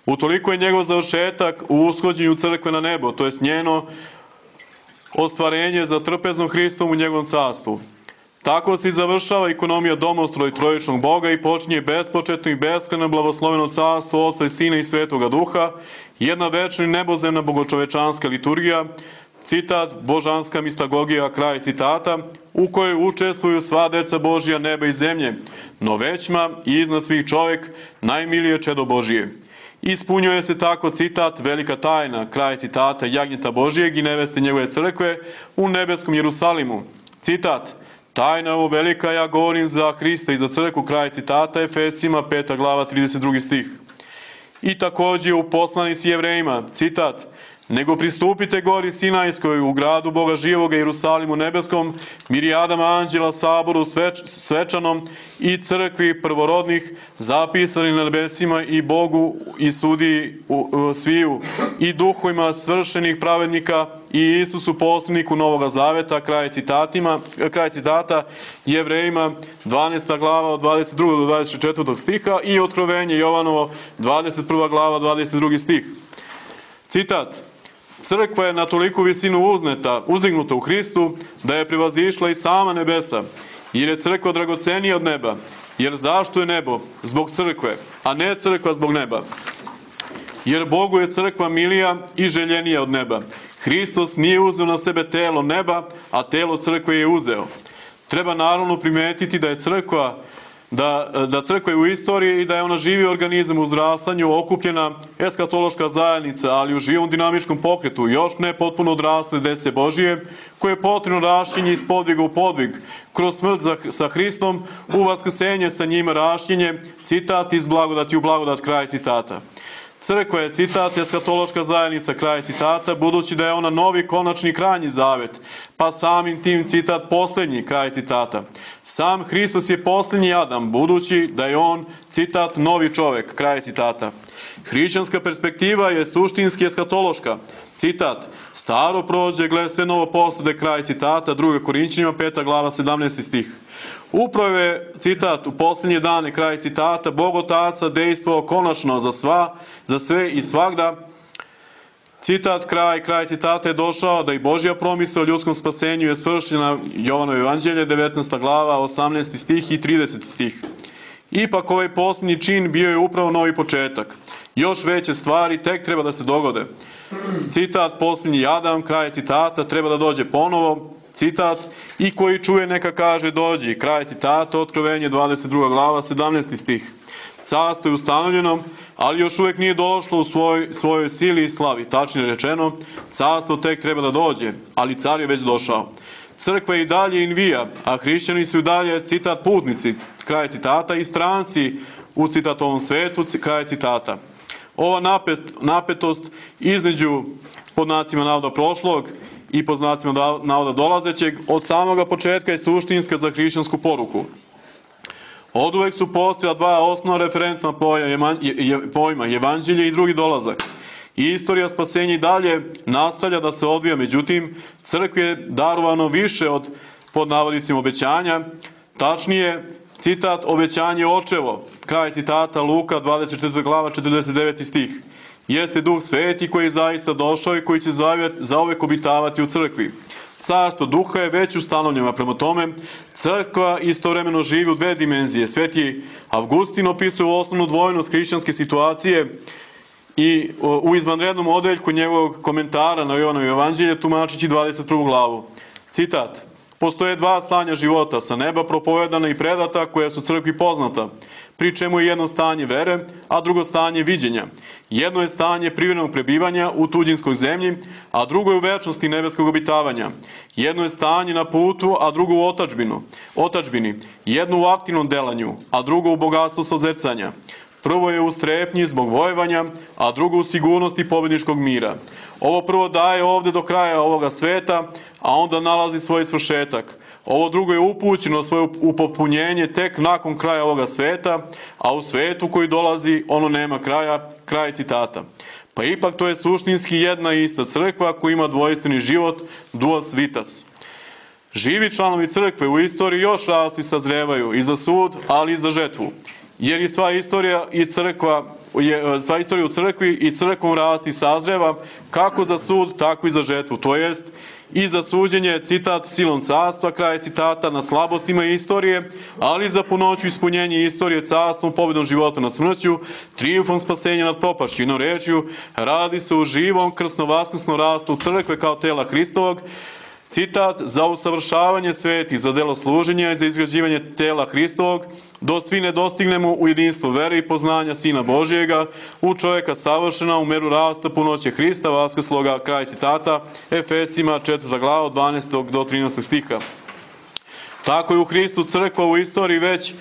utoliko je njegov završetak u ushođenju crkve na nebo, to je njeno ostvarenje za trpeznom Hristom u njegovom carstvu. Tako se završava ekonomija domostroj trojičnog Boga i počinje bespočetno i beskrajno blagosloveno carstvo Oca i Sina i Svetoga Duha, jedna večna i nebozemna bogočovečanska liturgija, citat, božanska mistagogija, kraj citata, u kojoj učestvuju sva deca Božija, neba i zemlje, no većma i iznad svih čovjek, najmilije čedo Božije. Ispunjuje se tako, citat, velika tajna, kraj citata, jagnjeta Božijeg i neveste njegove crkve u nebeskom Jerusalimu. Citat, tajna ovo velika, ja govorim za Hrista i za crkvu, kraj citata, Efesima, peta glava, trideset drugi stih. I također u poslanici Jevrejima, citat, nego pristupite gori Sinajskoj u gradu Boga živoga Jerusalimu nebeskom, mirijadama anđela, saboru sveč, svečanom i crkvi prvorodnih, zapisani na nebesima i Bogu i sudiji u, u, sviju, i duhovima svršenih pravednika i Isusu poslaniku Novoga Zaveta, kraj citatima, kraj citata, Jevrejima, dvanaesta glava od dvadeset drugog do dvadeset četvrtog stiha i Otkrovenje Jovanovo, dvadeset prva glava, dvadeset drugi stih. Citat. Crkva je na toliku visinu uzneta, uzdignuta u Hristu, da je prevazišla i sama nebesa, jer je crkva dragocenija od neba. Jer zašto je nebo? Zbog crkve, a ne crkva zbog neba. Jer Bogu je crkva milija i željenija od neba. Hristos nije uzeo na sebe telo neba, a telo crkve je uzeo. Treba naravno primetiti da je crkva Da, da crkva je u istoriji i da je ona živi organizam u uzrastanju, okupljena eskatološka zajednica, ali u živom dinamičkom pokretu, još ne potpuno odrasle dece Božije, koje je potrebno rašljenje iz podviga u podvig, kroz smrt za, sa Hristom, u vaskrsenje sa njima rašljenje, citat iz blagodati u blagodat, kraj citata. Crkva je, citat, eskatološka zajednica, kraj citata, budući da je ona novi, konačni, krajnji zavet, pa samim tim, citat, posljednji, kraj citata. Sam Hristos je posljednji Adam, budući da je on, citat, novi čovek, kraj citata. Hrišćanska perspektiva je suštinski eskatološka, citat, staro prođe, gle sve novo poslede, kraj citata, druga Korinćanima, peta glava, sedamnaesti stih. Upravo je, citat, u posljednje dane, kraj citata, Bog Otaca dejstvovao konačno za sva, za sve i svagda. Citat, kraj, kraj citata je došao da i Božja promisao o ljudskom spasenju je svršena, Jovanovo evanđelje, devetnaesta glava, osamnaesti stih i trideseti stih. Ipak ovaj posljednji čin bio je upravo novi početak. Još veće stvari tek treba da se dogode. Citat, posljednji Adam, kraj citata, treba da dođe ponovo. Citat, i koji čuje neka kaže dođi, kraj citata, Otkrovenje, dvadeset druga glava, sedamnaesti stih. Carstvo je ustanovljeno, ali još uvijek nije došlo u svoj, svojoj sili i slavi. Tačnije rečeno, carstvo tek treba da dođe, ali car je već došao. Crkva je i dalje invija, a hrišćani su i dalje, citat, putnici, kraj citata, i stranci u citatovom svetu, kraj citata. Ova napet, napetost između, pod znacima navoda prošlog i pod znacima navoda dolazećeg, od samoga početka je suštinska za hrišćansku poruku. Od uvek su postojala dva osnovna referentna pojma, evanđelje i drugi dolazak. I istorija spasenja i dalje nastavlja da se odvija, međutim, crkvi je darovano više od, pod navodicima, obećanja, tačnije, citat, obećanje očevo, kraj citata, Luka, dvadeset četvrta glava, četrdeset deveti stih. Jeste Duh Sveti koji je zaista došao i koji će zauvek obitavati u crkvi. Carstvo Duha je već ustanovljeno, prema tome, crkva istovremeno živi u dve dimenzije. Sveti Avgustin opisuje osnovnu dvojnost hrišćanske situacije i u izvanrednom odeljku njegovog komentara na Jovanovo evanđelje tumačići dvadeset prvu glavu. Citat, postoje dva stanja života, sa neba propovedana i predata, koja su crkvi poznata, pri čemu je jedno stanje vere, a drugo stanje viđenja. Jedno je stanje privremenog prebivanja u tuđinskoj zemlji, a drugo je u večnosti nebeskog obitavanja. Jedno je stanje na putu, a drugo u otačbinu, otačbini. Jedno u aktivnom delanju, a drugo u bogatstvu sozecanja. Prvo je u strepnji zbog vojevanja, a drugo u sigurnosti pobedničkog mira. Ovo prvo daje ovde do kraja ovoga sveta, a onda nalazi svoj svršetak. Ovo drugo je upućeno svoje upotpunjenje tek nakon kraja ovoga sveta, a u svetu koji dolazi ono nema kraja, kraj citata. Pa ipak to je suštinski jedna i ista crkva koja ima dvojstveni život, duas vitas. Živi članovi crkve u istoriji još rastu i sazrevaju i za sud, ali i za žetvu. Jer i sva istorija i crkva, je, sva istorija u crkvi i crkvom rasti sazreva kako za sud, tako i za žetvu. To jest, i za suđenje, citat, silom carstva, kraj citata, na slabostima istorije, ali za punoću ispunjenje istorije carstvom, pobedom života nad smrću, trijumfom spasenja nad propašću. Jednom rečju, radi se o živom krsno-vaskrsnom rastu crkve kao tela Hristovog, citat, za usavršavanje sveti, za delo služenja i za izgrađivanje tela Hristovog, do svi ne dostignemo u jedinstvu vere i poznanja Sina Božijega, u čovjeka savršena, u meru rasta punoće Hrista, vaskrsloga, kraj citata, Efesima, četvrta glava, od dvanaestog do trinaestog stiha. Tako je u Hristu crkva u istoriji već,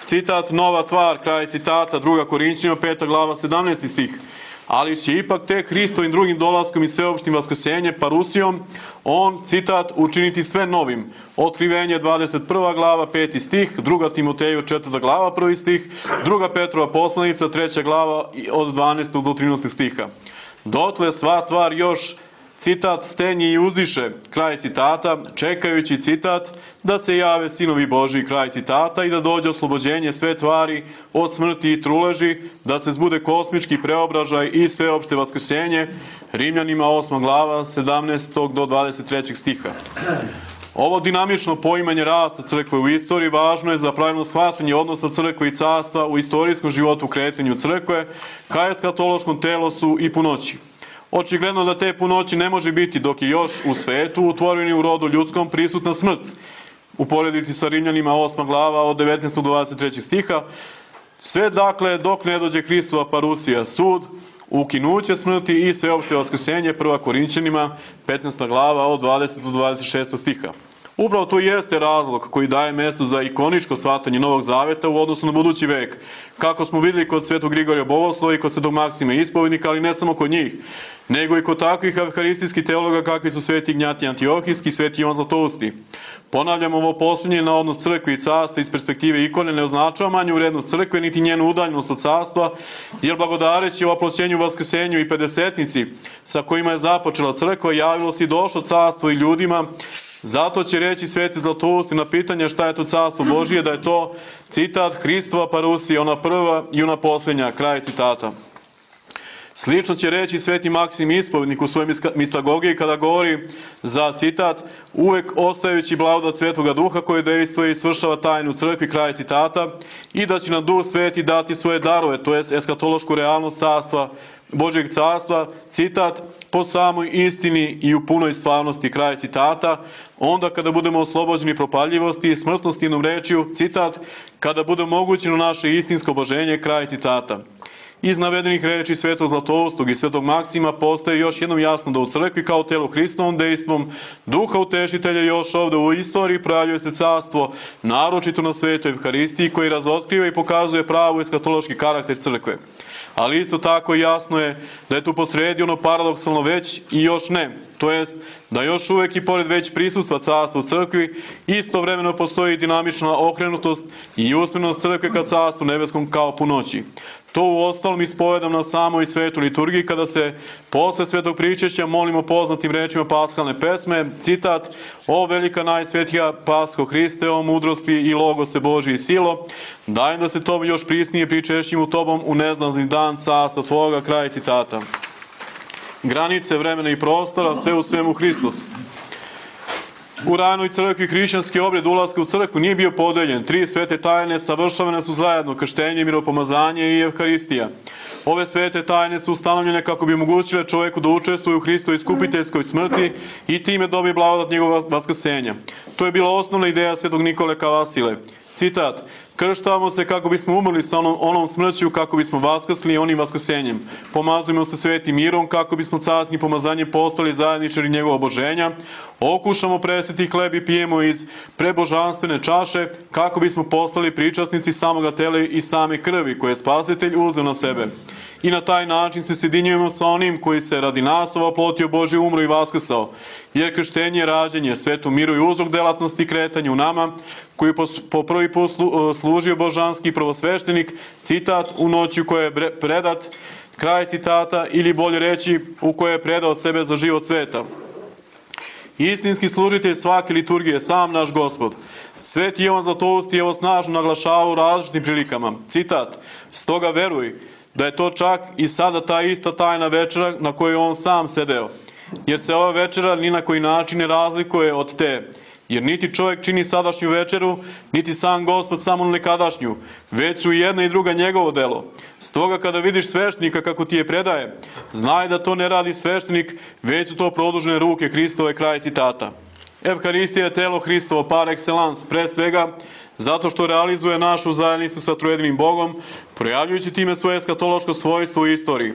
citat, nova tvar, kraj citata, druga Korinćanima, peta glava, sedamnaesti stih. Ali će ipak tek Hristovim drugim dolaskom i sveopštim vaskrsenjem, parusijom, on, citat, učiniti sve novim. Otkrivenje, dvadeset prva glava, peti stih, druga Timoteju, četvrta glava, prvi stih, druga Petrova poslanica, treća glava, od dvanaestog do trinaestog stiha. Dotle sva tvar još, citat, stenje i uzdiše, kraj citata, čekajući, citat, da se jave sinovi Božji, kraj citata, i da dođe oslobođenje sve tvari od smrti i truleži, da se zbude kosmički preobražaj i sveopšte vaskrsenje, Rimljanima osma glava, sedamnaestog do dvadeset trećeg stiha. Ovo dinamično poimanje rasta crkve u istoriji važno je za pravilno shvatanje odnosa crkve i carstva u istorijskom životu kretanju crkve, ka eskatološkom telosu i punoći. Očigledno da te punoći ne može biti dok je još u svetu, utvoreni u rodu ljudskom, prisutna smrt. Uporediti sa Rimljanima osma glava od devetnaestog do dvadeset trećeg stiha. Sve dakle dok ne dođe Hristova parusija, sud, ukinuće smrti i sveopšte vaskrsenje, prva Korinćanima, petnaesta glava od dvadesetog do dvadeset šestog stiha. Upravo to jeste razlog koji daje mjesto za ikoničko shvatanje Novog Zaveta u odnosu na budući vek. Kako smo vidjeli kod Svetog Grigorija Bogoslova i kod Svetog Maksima Ispovednika, ali ne samo kod njih, nego i kod takvih evharistijskih teologa kakvi su Sveti Ignjatij Antiohijski i Sveti Ivan Zlatousti. Ponavljam, ovo posljednje na odnos crkve i carstva iz perspektive ikone ne označava manju vrednost crkve niti njenu udaljenost od carstva, jer blagodareći o oploćenju, vaskrsenju i pedesetnici sa kojima je započela crkva, javilo se i došlo carstvo i ljudima. Zato će reći Sveti Zlatousti na pitanje šta je to carstvo Božije, da je to, citat, Hristova parusija, ona prva i ona posljednja, kraj citata. Slično će reći Sveti Maksim Ispovednik u svojoj mistagogiji kada govori za, citat, uvek ostajući blagodat Svetoga Duha koji dejstvuje i svršava tajnu crkvi, kraj citata, i da će nam Duh Sveti dati svoje darove, to jest eskatološku realnost carstva, Božjeg carstva, citat, po samoj istini i u punoj stvarnosti, kraj citata, onda kada budemo oslobođeni propaljivosti i smrtnosti jednom rečju, citat, kada bude omogućeno naše istinsko oboženje, kraj citata. Iz navedenih reči Svetog Zlatoustog i Svetog Maksima postaje još jednom jasno da u crkvi kao telu Hristovom dejstvom Duha Utešitelja još ovdje u istoriji projavljuje se carstvo, naročito na Svetoj Evharistiji, koji razotkriva i pokazuje pravu eskatološki karakter crkve. Ali isto tako jasno je da je tu posredi ono paradoksalno već i još ne, to jest da još uvijek i pored već prisustva carstva u crkvi istovremeno postoji dinamična okrenutost i usmenost crkve ka carstvu nebeskom kao po noći. To u ostalom ispovedam na samoj svetoj liturgiji kada se posle svetog pričešća molimo poznatim rečima paskalne pesme, citat, o velika najsvetija Pasko Hriste, o mudrosti i logose Božji i silo, daj da se to još prisnije pričešćim u tobom u neznazni dan carstva tvoga, kraj citata. Granice vremena i prostora, sve u svemu Hristos. U ranoj crkvi hrišćanski obred ulaska u crkvu nije bio podeljen. Tri svete tajne savršavane su zajedno, krštenje, miropomazanje i Evharistija. Ove svete tajne su ustanovljene kako bi omogućile čovjeku da učestvuje u Hristovoj iskupiteljskoj smrti i time dobije blagodat njegovog vaskrsenja. To je bila osnovna ideja svetog Nikole Kavasile. Citat, krštavamo se kako bismo umrli sa onom, onom smrću, kako bismo vaskrsli onim vaskrsenjem. Pomazujemo se svetim mirom, kako bismo carskim pomazanjem postali zajedničari njegova oboženja. Okušamo presveti hleb i pijemo iz prebožanstvene čaše, kako bismo postali pričasnici samoga tela i same krvi, koje je Spasitelj uzeo na sebe. I na taj način se sjedinjujemo sa onim koji se radi nas oplotio Božje umro i vaskrsao. Jer krštenje, rađenje, svetu miru i uzrok delatnosti kretanja u nama, koji po, po prvi put slu, služio božanski prvosveštenik, citat, u noći u kojoj je predat, kraj citata, ili bolje reći, u kojoj je predao sebe za život sveta. Istinski služitelj svake liturgije, sam naš Gospod. Sveti Ivan Zlatousti je ovo snažno naglašavao u različitim prilikama. Citat, stoga veruj da je to čak i sada ta ista tajna večera na kojoj on sam sedeo. Jer se ova večera ni na koji način ne razlikuje od te. Jer niti čovjek čini sadašnju večeru, niti sam Gospod samo nekadašnju, već su i jedna i druga njegovo delo. Stoga kada vidiš sveštenika kako ti je predaje, znaj da to ne radi sveštenik, već su to produžene ruke Hristove, kraj citata. Evharistija je telo Hristovo par excellence, pre svega zato što realizuje našu zajednicu sa trojedivim Bogom, projavljujući time svoje eskatološko svojstvo u istoriji.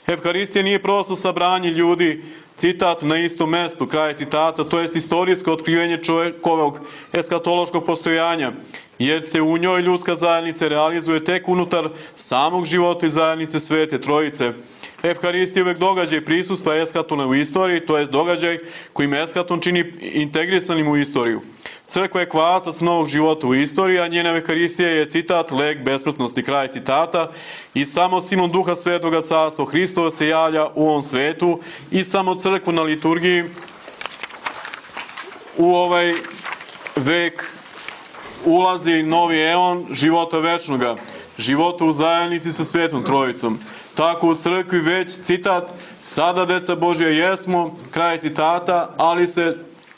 Evharistija nije prosto sabranje ljudi, citat, na istom mestu, kraj citata, to jest istorijsko otkrivenje čovjekovog eskatološkog postojanja, jer se u njoj ljudska zajednica realizuje tek unutar samog života i zajednice Svete Trojice. Evharistija je uvek događaj prisustva eskatona u istoriji, to jest događaj kojim eskaton čini integrisanim u istoriju. Crkva je kvasac novog života u istoriji, a njena Evharistija je, citat, lek besmrtnosti, kraj citata, i samo silom Duha Svetoga carstvo Hristova se javlja u ovom svetu i samo crkvu na liturgiji u ovaj vek ulazi novi eon života večnoga, života u zajednici sa Svetom Trojicom. Tako u crkvi već, citat, sada deca Božja jesmo, kraj citata, ali se,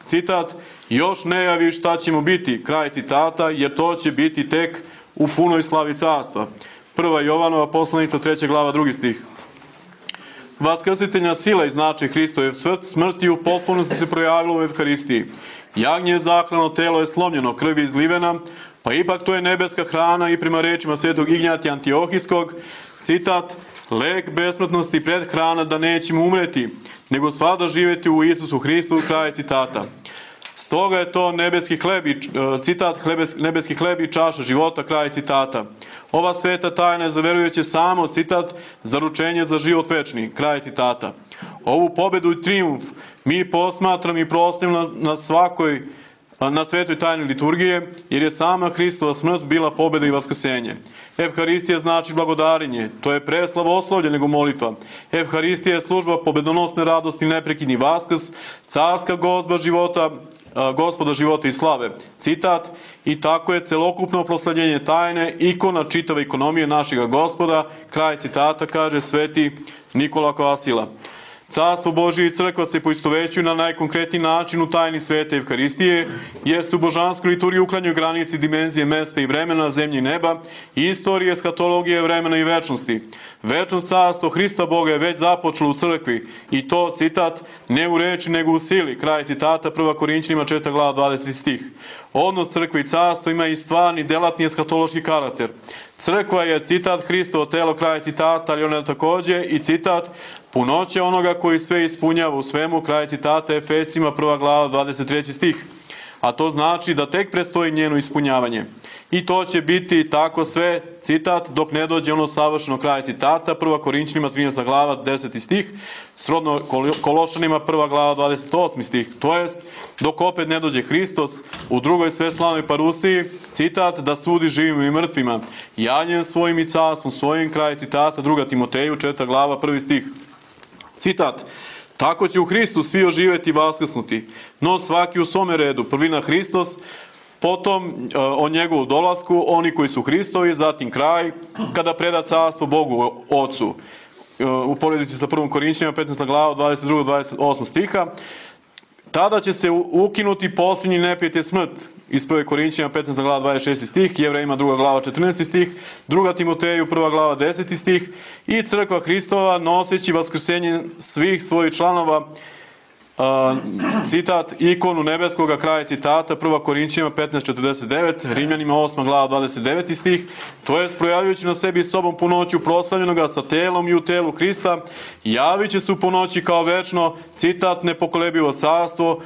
citat, još ne javi šta ćemo biti, kraj citata, jer to će biti tek u punoj slavi carstva. Prva Jovanova poslanica, treća glava, drugi stih. Vaskrsiteljna sila i značaj Hristove smrti u potpunosti se projavilo u Evharistiji. Jagnje je zaklano, telo je slomljeno, krv je izlivena, pa ipak to je nebeska hrana i prema rečima svetog Ignjatija Antiohijskog, citat, lek besmrtnosti pred hrana da nećemo umreti, nego svada živjeti u Isusu Hristu, kraj citata. Stoga je to nebeski hleb i, citat, nebeski hleb i čaša života, kraj citata. Ova sveta tajna je za verujuće samo, citat, zaručenje za život večni, kraj citata. Ovu pobedu i trijumf mi posmatram i proslavljamo na svakoj, na svetoj tajni liturgije, jer je sama Hristova smrt bila pobeda i vaskrsenje. Evharistija znači blagodarenje, to je pre slavoslovlje nego molitva. Evharistija je služba pobedonosne radosti, neprekidni vaskrs, carska gozba života, Gospoda života i slave. Citat, i tako je celokupno proslavljenje tajne, ikona čitave ekonomije našega Gospoda, kraj citata, kaže sveti Nikola Kvasila. Carstvo Božije i crkva se poistovećuju na najkonkretniji način u tajni svete Evharistije, jer se u božansku liturgiju uklanjaju granici dimenzije mesta i vremena, zemlje i neba, i istorije, eskatologije, vremena i večnosti. Večno carstvo Hrista Boga je već započelo u crkvi, i to, citat, ne u reči nego u sili, kraj citata, prva Korinćanima četvrta glava dvadeseti stih. Odnos crkve i carstva ima i stvarni, delatni eskatološki karakter. Crkva je, citat, Hristovo telo, kraj citata, ali ona je takođe i citat, punoće onoga koji sve ispunjava u svemu, kraj citata, Efesima prva glava dvadeset treći stih. A to znači da tek predstoji njeno ispunjavanje. I to će biti tako sve, citat, dok ne dođe ono savršeno, kraj citata, prva Korinćanima trinaesta glava deseti stih, srodno Kološanima prva glava dvadeset osmi stih, to jest dok opet ne dođe Hristos u drugoj sveslavnoj parusiji, citat, da sudi živim i mrtvima, javljen svojim i carstvom svojim, kraj citata, druga Timoteju četvrta glava prvi stih. Citat, tako će u Hristu svi oživeti i vaskrsnuti, no svaki u svome redu, prvina Hristos, potom o njegovu dolasku, oni koji su Hristovi, zatim kraj, kada preda carstvo Bogu Ocu. U poredici sa prvom Korinćanima petnaesta glava dvadeset druga do dvadeset osma stiha, tada će se ukinuti posljednji neprijatelj smrt. Iz prve Korinćanima petnaesta glava dvadeset šesti stih, Jevrejima druga glava četrnaesti stih, druga Timoteju prva glava deseti stih, i crkva Hristova noseći vaskrsenje svih svojih članova, Uh, citat, ikonu nebeskoga, kraja citata, prva Korinćanima petnaest četrdeset devet, Rimljanima osma glava dvadeset deveti stih, to je projavljujući na sebi sobom punoću proslavljenoga sa telom i u telu Hrista, javit će se u punoći kao večno, citat, nepokolebivo carstvo,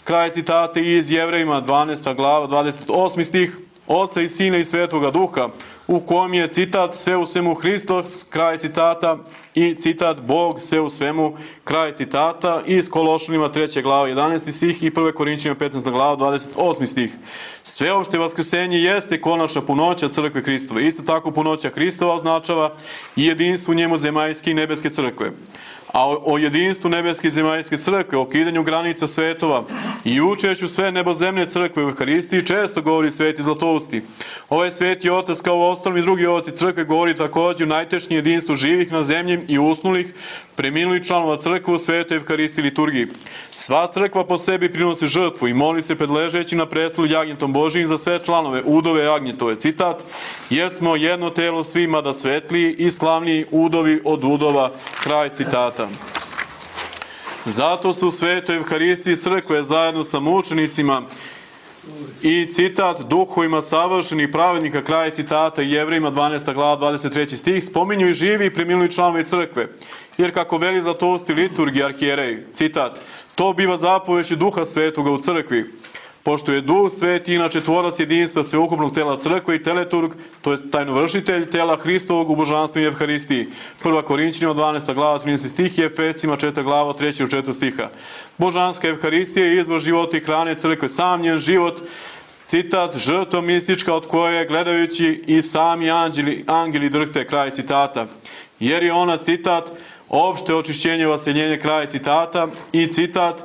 kraj citata, iz Jevrejima dvanaesta glava dvadeset osmi stih, Oca i Sina i Svetoga Duha, u kom je, citat, sve u svemu Hristos, kraj citata, i citat, Bog sve u svemu, kraj citata, iz Kološanima treća glava jedanaesti stih i prve Korinćanima petnaesta glava dvadeset osmi stih. Sveopšte vaskrsenje jeste konačna punoća crkve Hristove. Isto tako punoća Hristova označava i jedinstvo njemu zemaljske i nebeske crkve. A o, o jedinstvu nebeske i zemaljske crkve, o kidanju granica svetova i učešću sve nebozemne crkve u Euharistiji često govori sveti Zlatousti. Ovaj sveti otac kao u ostalim i drugi oci crkve govori također o najtešnjem jedinstvu živih na zemlji i usnulih, preminulih članova crkve u svetoj Euharistiji liturgiji. Sva crkva po sebi prinosi žrtvu i moli se pred ležeći na prestolu jagnjetom Božijim za sve članove, udove jagnjetove. Citat, jer smo jedno telo svima da svetliji i slavniji udovi od udova, kraj citata. Zato su u svetoj Euharistiji crkve zajedno sa mučenicima i citat, duhovima savršenih pravednika, kraj citata, i Jevrejima dvanaesta glava dvadeset treći stih, spominju i živi i preminuli članovi crkve. Jer kako veli Zlatousti liturgi arhijerej, citat, to biva zapovešću Duha Svetoga u crkvi. Pošto je Duh Sveti inače tvorac jedinstva sveukupnog tela crkve i teleturg, to je tajnovršitelj tela Hristovog u božanstvu i Evharistiji. prva Korinćanima dvanaesta glava trinaesti stih i Efesima četvrta glava treći do četvrtog stiha. Božanska Evharistija je izvor života i hrane crkve, sam njen život, citat, žrtva mistička od koje gledajući i sami anđeli, angeli drhte, kraj citata. Jer je ona, citat, opšte očišćenje vaseljenje, kraj citata, i citat,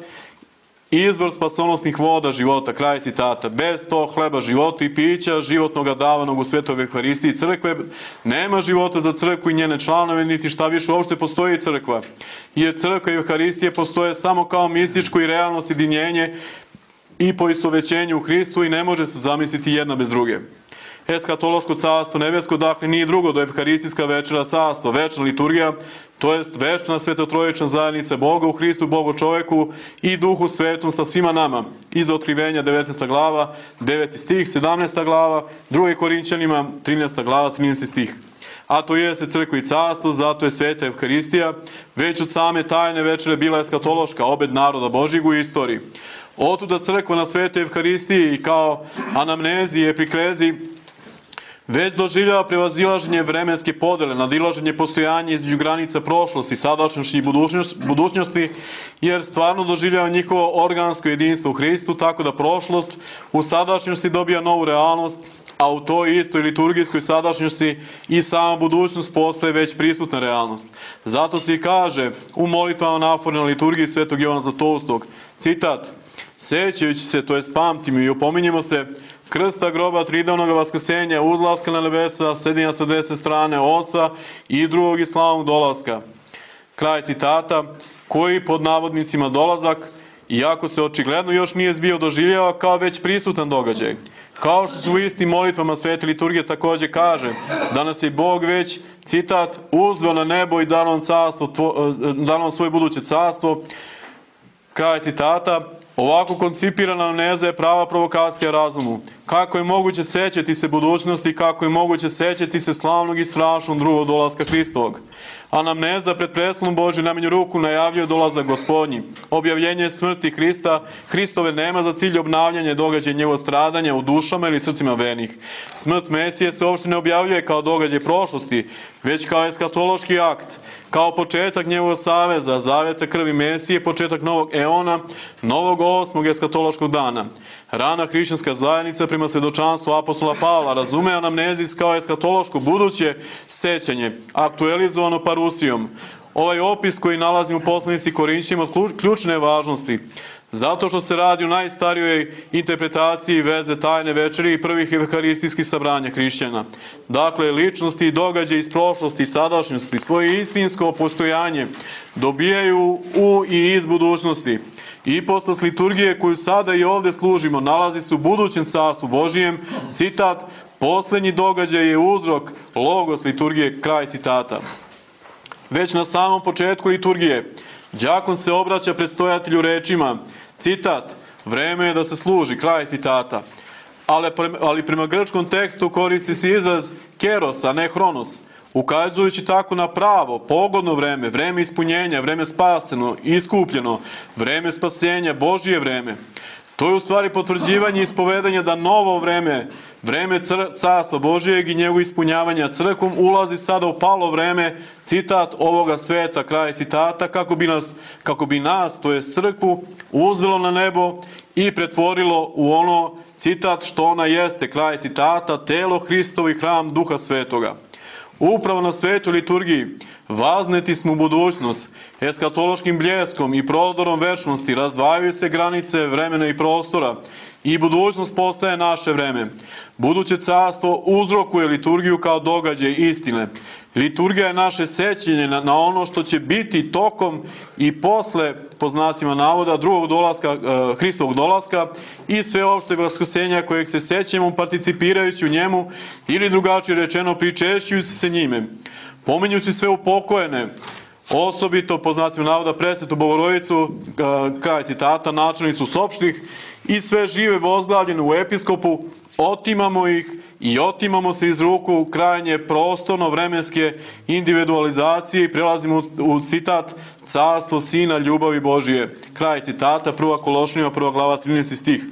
izvor spasonosnih voda života, kraj citata. Bez tog hleba života i pića, životnoga davanog u svetoj Euharistiji crkve, nema života za crkvu i njene članove, niti šta više uopšte postoji crkva. Jer crkva i Euharistije postoje samo kao mističko i realno sjedinjenje i poistovećenje u Hristu i ne može se zamisliti jedna bez druge. Eskatološko carstvo nebesko, dakle, nije drugo do Evharistijska večera carstva, večna liturgija, to jest večna svetotrojična zajednica Boga u Hristu, Bogu čoveku i Duhu Svetom sa svima nama. Iz Otkrivenja devetnaesta glava, deveti stih, sedamnaesta glava, druga Korinćanima trinaesta glava, trinaesti stih. a to jeste crkva i carstvo, zato je sveta Evharistija, već od same tajne večere bila eskatološka, obed naroda Božjeg u istoriji. Otuda crkva na svetoj Evharistiji i kao anamnezi i epiklezi već doživljava prevazilaženje vremenske podele, nadilaženje postojanja između granica prošlosti, sadašnjosti i budućnosti, jer stvarno doživljava njihovo organsko jedinstvo u Hristu, tako da prošlost u sadašnjosti dobija novu realnost, a u toj istoj liturgijskoj sadašnjosti i sama budućnost postaje već prisutna realnost. Zato se i kaže u molitvama naporne na liturgiji svetog Jovana Zlatoustog, citat, sećajući se, to jest pamtimo i opominjemo se, krsta, groba, tridavnog vaskrsenja, uzlaska na nebesa, sedinja sa desne strane Oca i drugog i slavnog dolaska. Kraj citata, koji pod navodnicima dolazak, iako se očigledno još nije zbio, doživljava kao već prisutan događaj. Kao što se u istim molitvama svete liturgije također kaže, da nas je Bog već, citat, uzveo na nebo i dao nam carstvo, dao nam svoje buduće carstvo. Kraj citata, ovako koncipirana anamneza je prava provokacija razumu. Kako je moguće sećati se budućnosti, kako je moguće sećati se slavnog i strašnog drugog dolaska Hristovog. Anamneza pred preslom Božju najmanju ruku najavljuje dolazak Gospodnji. Objavljenje smrti Hrista, Hristove nema za cilj obnavljanje događaja njegovog stradanja u dušama ili srcima vernih. Smrt Mesije se uopšte ne objavljuje kao događaj prošlosti, već kao eskatološki akt, kao početak njegovog saveza, zaveta krvi Mesije, početak novog eona, novog osmog eskatološkog dana. Rana hrišćanska zajednica prema svjedočanstvu apostola Pavla razume anamnezis kao eskatološko buduće sećanje, aktualizovano parusijom. Ovaj opis koji nalazimo u poslanici Korinćima od ključne važnosti, zato što se radi o najstarijoj interpretaciji veze tajne večeri i prvih evharistijskih sabranja hrišćana. Dakle, ličnosti i događaje iz prošlosti i sadašnjosti svoje istinsko postojanje dobijaju u i iz budućnosti. Ipostas liturgije koju sada i ovdje služimo nalazi se u budućem carstvu Božijem, citat, posljednji događaj je uzrok, logos liturgije, kraj citata. Već na samom početku liturgije, đakon se obraća predstojatelju rečima, citat, vreme je da se služi, kraj citata. Ali, ali prema grčkom tekstu koristi se izraz keros, a ne hronos, ukazujući tako na pravo, pogodno vreme, vreme ispunjenja, vreme spaseno, iskupljeno, vreme spasenja, Božije vreme. To je u stvari potvrđivanje i ispovedanje da novo vreme, vreme carstva Božijeg i njegovo ispunjavanja crkvom ulazi sada u palo vreme, citat, ovoga sveta, kraj citata, kako bi nas, kako bi nas, to je crkvu, uzvelo na nebo i pretvorilo u ono, citat, što ona jeste, kraj citata, telo Hristovo i hram Duha Svetoga. Upravo na svetoj liturgiji vazneti smo u budućnost, eskatološkim bljeskom i prodorom večnosti razdvajaju se granice vremena i prostora i budućnost postaje naše vreme. Buduće carstvo uzrokuje liturgiju kao događaj istine. Liturgija je naše sećenje na, na ono što će biti tokom i posle, po znacima navoda, drugog dolaska, e, Hristovog dolaska i sveopšteg vaskrsenja kojeg se sećamo participirajući u njemu ili drugačije rečeno pričešćujući se njime. Pominjući sve upokojene, osobito po znacima navoda presvetu Bogorodicu, kraj citata, načelnicu sopštih i sve žive vozglavljene u episkopu, otimamo ih i otimamo se iz ruku krajnje prostorno-vremenske individualizacije i prelazimo u citat carstvo Sina ljubavi Božije. Kraj citata, prva Kološnjeva, prva glava, trinaesti stih.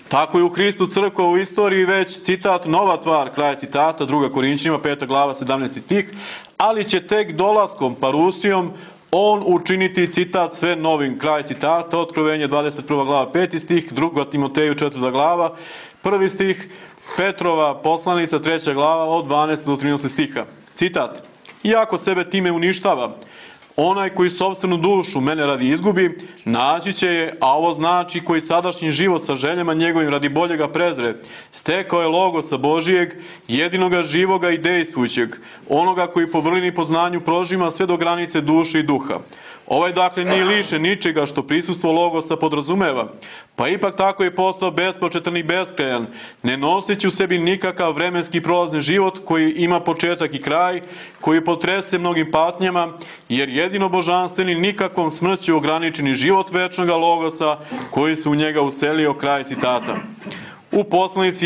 Tako je u Hristu crkva u istoriji već, citat, nova tvar, kraj citata, druga Korinćima, peta glava, sedamnaesti stih, ali će tek dolaskom, parusijom, on učiniti, citat, sve novim, kraj citata, Otkrovenje, dvadeset prva glava, peti stih, druga Timoteju, četvrta glava, prvi stih, Petrova poslanica, treća glava, od dvanaestog do trinaestog stiha. Citat, iako sebe time uništava, onaj koji sopstvenu dušu mene radi izgubi, naći će je, a ovo znači koji sadašnji život sa željama njegovim radi boljega prezre, stekao je logosa Božijeg, jedinoga živoga i dejstvujućeg, onoga koji po vrlini poznanju prožima sve do granice duše i duha. Ovaj dakle nije lišen ničega što prisustvo logosa podrazumeva, pa ipak tako je postao bespočetan i beskrajan, ne noseći u sebi nikakav vremenski prolazni život koji ima početak i kraj, koji potrese mnogim patnjama, jer jedino božanstveni nikakvom smrću ograničeni život večnoga logosa koji se u njega uselio, kraj citata. U poslanici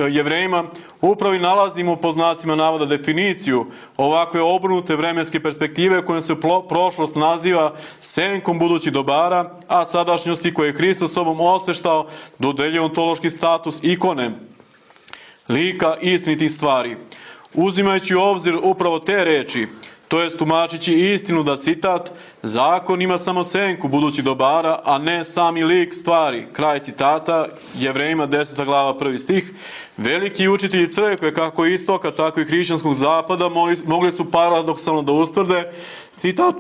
Jevrejima Upravo i nalazimo po znacima navoda definiciju ovakve obrnute vremenske perspektive kojom se prošlost naziva senkom budućih dobara, a sadašnjosti koje je Hristos sobom osveštao dodeljuje ontološki status ikone, lika istinitih stvari. Uzimajući u obzir upravo te reči, to jest tumačići istinu da, citat, zakon ima samo senku budućih dobara, a ne sami lik stvari, kraj citata, Jevrejima deseta glava prvi stih, veliki učitelji crkve kako istoka, tako i hrišćanskog zapada mogli su paradoksalno da ustvrde, citat,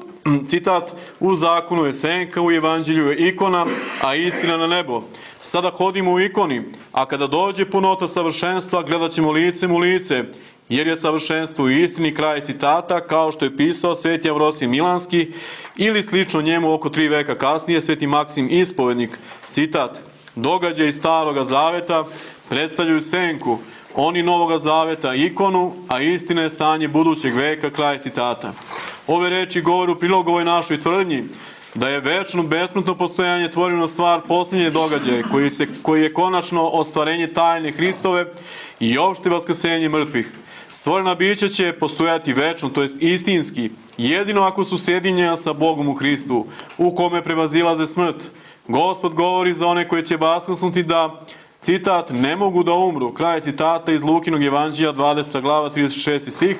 citat, u zakonu je senka, u evanđelju je ikona, a istina na nebo. Sada hodimo u ikoni, a kada dođe punota savršenstva, gledat ćemo licem u lice, jer je savršenstvo u istini, kraj citata, kao što je pisao sveti Avrosije Milanski, ili slično njemu oko tri veka kasnije sveti Maksim Ispovednik, citat, događaji Staroga zaveta predstavljaju senku, oni Novoga zaveta ikonu, a istina je stanje budućeg veka, kraj citata. Ove reči govore u prilog ovoj našoj tvrdnji, da je večno, besmrtno postojanje tvorivna stvar posljednje događaje, koji, se, koji je konačno ostvarenje tajne Hristove i opšte vaskrsenje mrtvih. Stvorena bića će postojati večno, to jest istinski, jedino ako su sjedinjena sa Bogom u Hristu, u kome prevazilaze smrt. Gospod govori za one koje će vaskrsnuti da, citat, ne mogu da umru, kraj citata iz Lukinog evanđelja dvadeseta glava trideset šesti stih,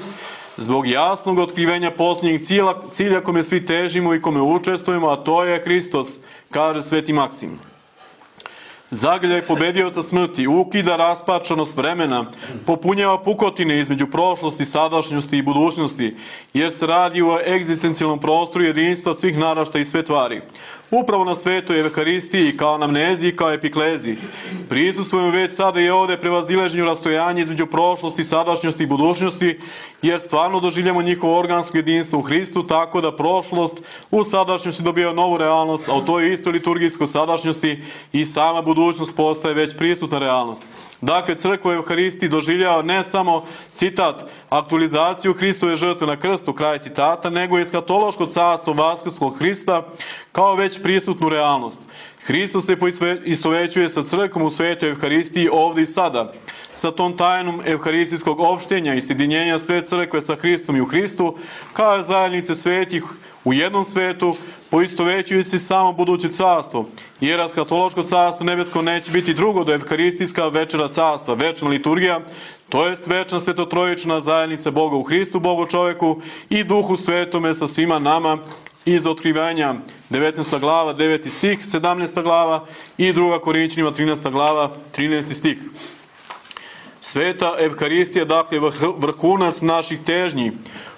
zbog jasnog otkrivenja posljednjeg cilja, cilja kome svi težimo i kome učestvujemo, a to je Hristos, kaže sveti Maksim. Zagrljaj pobedioca smrti ukida raspačanost vremena, popunjava pukotine između prošlosti, sadašnjosti i budućnosti, jer se radi o egzistencijalnom prostoru jedinstva svih naraštaja i sve tvari. Upravo na svetoj Evharistiji, kao anamneziji, kao epikleziji, prisustvujemo već sada i ovde prevazileženju rastojanja između prošlosti, sadašnjosti i budućnosti, jer stvarno doživljamo njihovo organsko jedinstvo u Hristu, tako da prošlost u sadašnjosti dobija novu realnost, a u toj istoj liturgijskoj sadašnjosti i sama budućnost postaje već prisutna realnost. Dakle, crkva u Evharistiji doživljava ne samo, citat, aktualizaciju Hristove žrtve na krstu, kraj citata, nego i eskatološko carstvo vaskrskog Hrista kao već prisutnu realnost. Hristos se istovećuje sa crkvom u svetoj Evharistiji ovdje i sada. Sa tom tajnom evharistijskog opštenja i sjedinjenja sve crkve sa Hristom i u Hristu, kao zajednice svetih u jednom svetu, poistovećuje se samo buduće carstvo, jer eskatološko carstvo nebesko neće biti drugo do evharistijska večera carstva, večna liturgija, to jest večna svetotrojična zajednica Boga u Hristu, Bogu čoveku i Duhu Svetome sa svima nama, iz Otkrivenja devetnaesta glava, deveti stih, sedamnaesta glava i druga Korinćanima trinaesta glava, trinaesti stih. Sveta Evharistija, dakle, vrhunac naših težnji.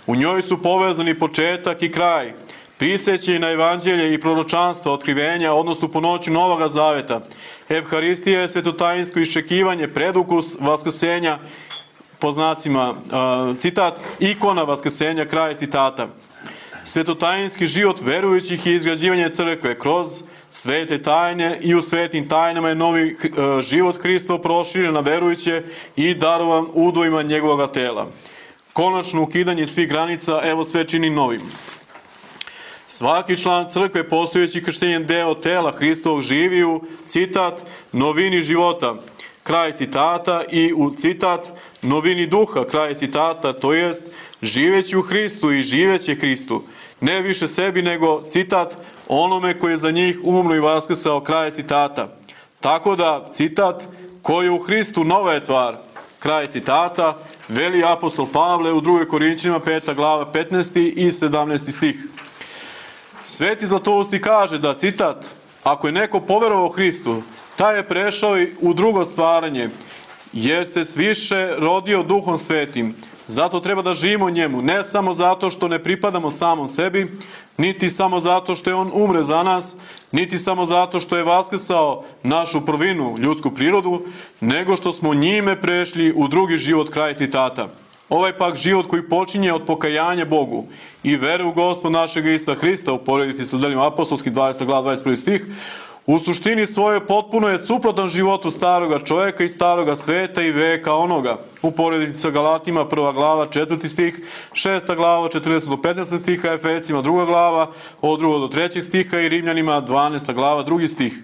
U njoj su povezani početak i kraj, prisećanje na evanđelje i proročanstvo, otkrivenja, odnosno po noći Novoga zaveta. Evharistija je svetotajinsko iščekivanje, predukus vaskrsenja, po znacima, citat, ikona vaskrsenja, kraj citata. Svetotajinski život verujućih i izgrađivanje crkve kroz svete tajne i u svetim tajnama je novi život Hristov proširen na verujuće i darovan udojima njegovog tela. Konačno ukidanje svih granica, evo sve čini novim. Svaki član crkve postojeći krštenjem deo tela Hristovog živi u, citat, novini života, kraj citata, i u, citat, novini duha, kraj citata, to jest živeći u Hristu i živeće Hristu. Ne više sebi, nego, citat, onome koji je za njih umro i vaskrsao, kraj citata. Tako da, citat, ko je u Hristu nova je tvar, kraj citata, veli apostol Pavle u drugoj Korinćanima peta glava petnaesti i sedamnaesti stih. Sveti Zlatousti kaže da, citat, ako je neko poverovao Hristu, taj je prešao i u drugo stvaranje, jer se sviše rodio Duhom Svetim. Zato treba da živimo njemu, ne samo zato što ne pripadamo samom sebi, niti samo zato što je on umre za nas, niti samo zato što je vaskrsao našu prvinu, ljudsku prirodu, nego što smo njime prešli u drugi život, kraj citata. Ovaj pak život koji počinje od pokajanja Bogu i vere u Gospod našeg Isusa Hrista, uporediti sa delima apostolskih dvadeseta glava dvadeset prvi stih, u suštini svoje potpuno je suprotan životu staroga čovjeka i staroga sveta i veka onoga. Uporediti sa Galatima prva glava četvrti stih, šesta glava četrnaesti do petnaesti stiha, Efesima druga glava od drugog do trećeg stiha i Rimljanima dvanaesta glava drugi stih.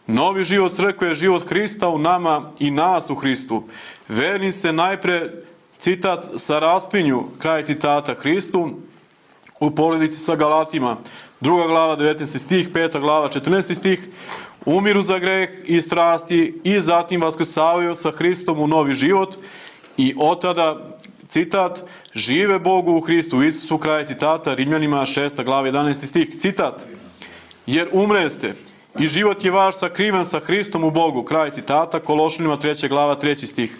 Novi život crkve je život Hrista u nama i nas u Hristu. Verni se najpre, citat, sa raspinju, kraj citata, Hristu, u porodici sa Galatima, druga glava, devetnaesti stih, peta glava, četrnaesti stih, umiru za greh i strasti i zatim vaskrsavaju sa Hristom u novi život i od tada, citat, žive Bogu u Hristu Isusu, kraj citata, Rimljanima šesta glava, jedanaesti stih, citat, jer umreste i život je vaš sakriven sa Hristom u Bogu, kraj citata, Kološanima treća glava, treći stih.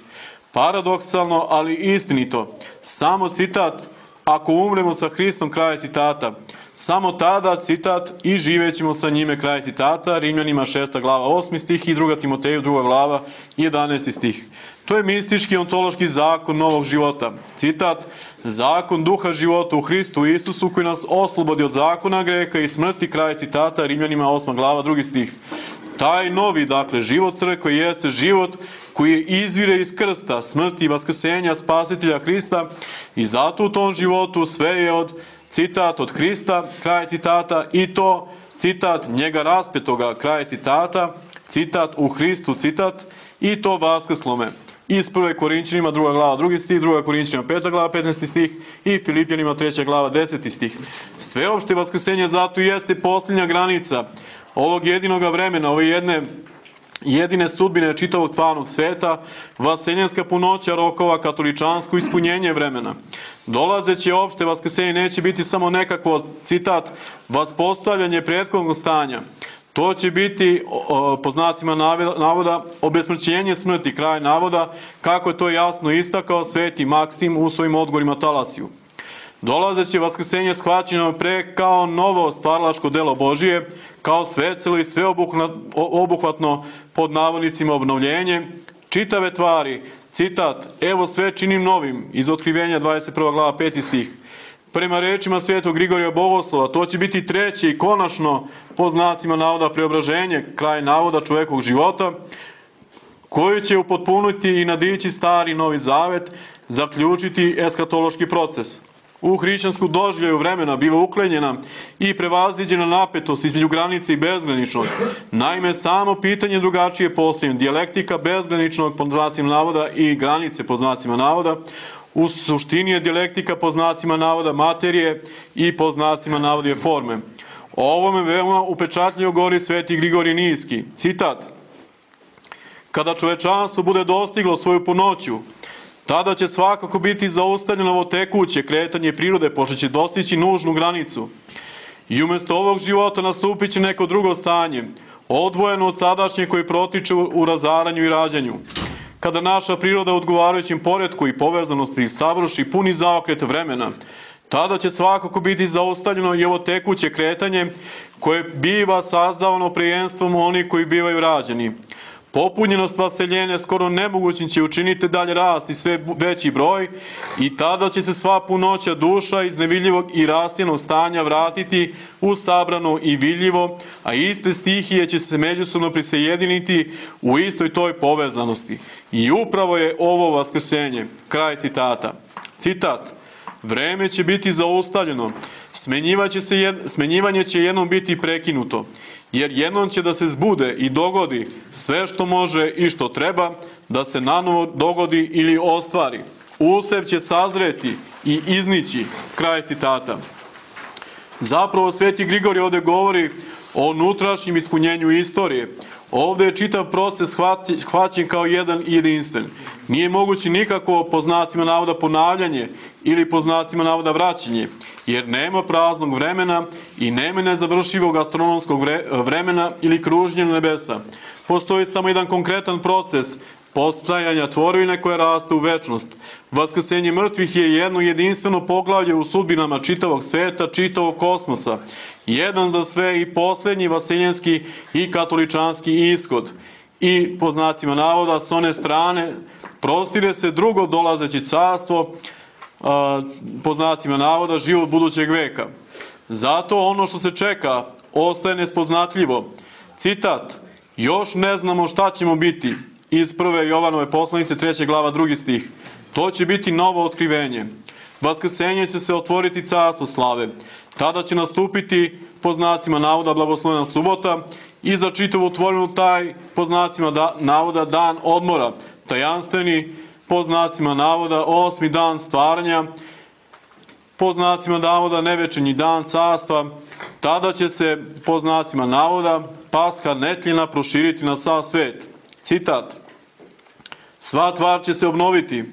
Paradoksalno, ali istinito, samo citat, ako umremo sa Hristom, kraj citata, samo tada, citat, i živećemo sa njime, kraj citata, Rimljanima šesta glava, osmi stih i druga Timoteju, druga glava, jedanaesti stih. To je mistički ontološki zakon novog života. Citat, zakon duha života u Hristu Isusu koji nas oslobodi od zakona greha i smrti, kraj citata, Rimljanima osma glava, drugi stih. Taj novi, dakle, život crkve jeste život koji izvire iz krsta, smrti i vaskrsenja spasitelja Hrista i zato u tom životu sve je od, citat, od Hrista, kraj citata, i to, citat, njega raspetoga, kraj citata, citat, u Hristu, citat, i to vaskrslome. Iz prve Korinćanima druga glava, drugi stih, druga Korinćanima peta glava, petnaesti stih i Filipljanima treća glava, deseti stih. Sveopšte vaskrsenje zato jeste posljednja granica ovog jedinoga vremena, ove jedne jedine sudbine čitavog tvarnog sveta, vaseljenska punoća rokova, katoličansko ispunjenje vremena. Dolazeće opšte vaskrsenje neće biti samo nekakvo, citat, vaspostavljanje prethodnog stanja. To će biti, po znacima navoda, obesmrćenje smrti, kraj navoda, kako je to jasno istakao sveti Maksim u svojim odgovorima Talasiju. Dolazeće vaskrsenje shvaćeno pre kao novo stvaralačko delo Božije, kao svecelo i sveobuhvatno pod navodnicima obnovljenje, čitave tvari, citat, evo sve činim novim, iz Otkrivenja dvadeset prva glava, peti stih. Prema rečima svetog Grigorija Bogoslova, to će biti treće i konačno, po znacima navoda, preobraženje, kraj navoda čovekovog života, koji će upotpuniti i nadići stari novi zavet, zaključiti eskatološki proces. U hrišćansku doživljaju vremena biva uklenjena i prevaziđena napetost između granice i bezgraničnog. Naime, samo pitanje drugačije postoji, dijalektika bezgraničnog, po znacima navoda, i granice, po znacima navoda. U suštini je dijalektika, po znacima navoda, materije i po znacima navoda forme. O ovome veoma upečatljivo govori sveti Grigorije Nijski. Citat, kada čovečanstvo bude dostiglo svoju punoću, tada će svakako biti zaustavljeno ovo tekuće kretanje prirode, pošto će dostići nužnu granicu. I umjesto ovog života nastupit će neko drugo stanje, odvojeno od sadašnje koje protiče u razaranju i rađanju. Kada naša priroda u odgovarajućem poretku i povezanosti savrši puni zaokret vremena, tada će svakako biti zaustavljeno i ovo tekuće kretanje koje biva sazdavano prijenstvom onih koji bivaju rađeni. Popunjenost vaseljenja skoro nemogućim će učiniti dalje rast i sve veći broj i tada će se sva punoća duša iz nevidljivog i rasjenog stanja vratiti u sabrano i vidljivo, a iste stihije će se međusobno prisajediniti u istoj toj povezanosti. I upravo je ovo vaskrsenje. Kraj citata. Citat. Vreme će biti zaustavljeno, smenjivanje će jednom biti prekinuto, jer jednom će da se zbude i dogodi sve što može i što treba da se nanovo dogodi ili ostvari. Usev će sazreti i iznići. Kraj citata. Zapravo sveti Grigorije ovdje govori o unutrašnjem ispunjenju istorije. Ovdje je čitav proces hvaćen kao jedan i jedinstven. Nije moguće nikako po znacima navoda ponavljanje ili po znacima navoda vraćanje, jer nema praznog vremena i nema nezavršivog astronomskog vremena ili kružnjenja nebesa. Postoji samo jedan konkretan proces postajanja tvorevine koja raste u večnost. Vaskrsenje mrtvih je jedno jedinstveno poglavlje u sudbinama čitavog sveta, čitavog kosmosa. Jedan za sve i posljednji vaseljenski i katoličanski ishod. I po znacima navoda s one strane prostire se drugo dolazeće carstvo, po znacima navoda život budućeg veka. Zato ono što se čeka ostaje nespoznatljivo. Citat, još ne znamo šta ćemo biti, iz prve Jovanove poslanice, treća glava, drugi stih. To će biti novo otkrivenje. Vaskrsenje će se otvoriti carstvo slave. Tada će nastupiti po znacima navoda blagoslovena subota i za čitavu tvorinu taj, po znacima da, navoda, dan odmora, tajanstveni, po znacima navoda, osmi dan stvaranja, po znacima navoda, nevečernji dan carstva. Tada će se, po znacima navoda, Paska netljena proširiti na sav svet. Citat: sva tvar će se obnoviti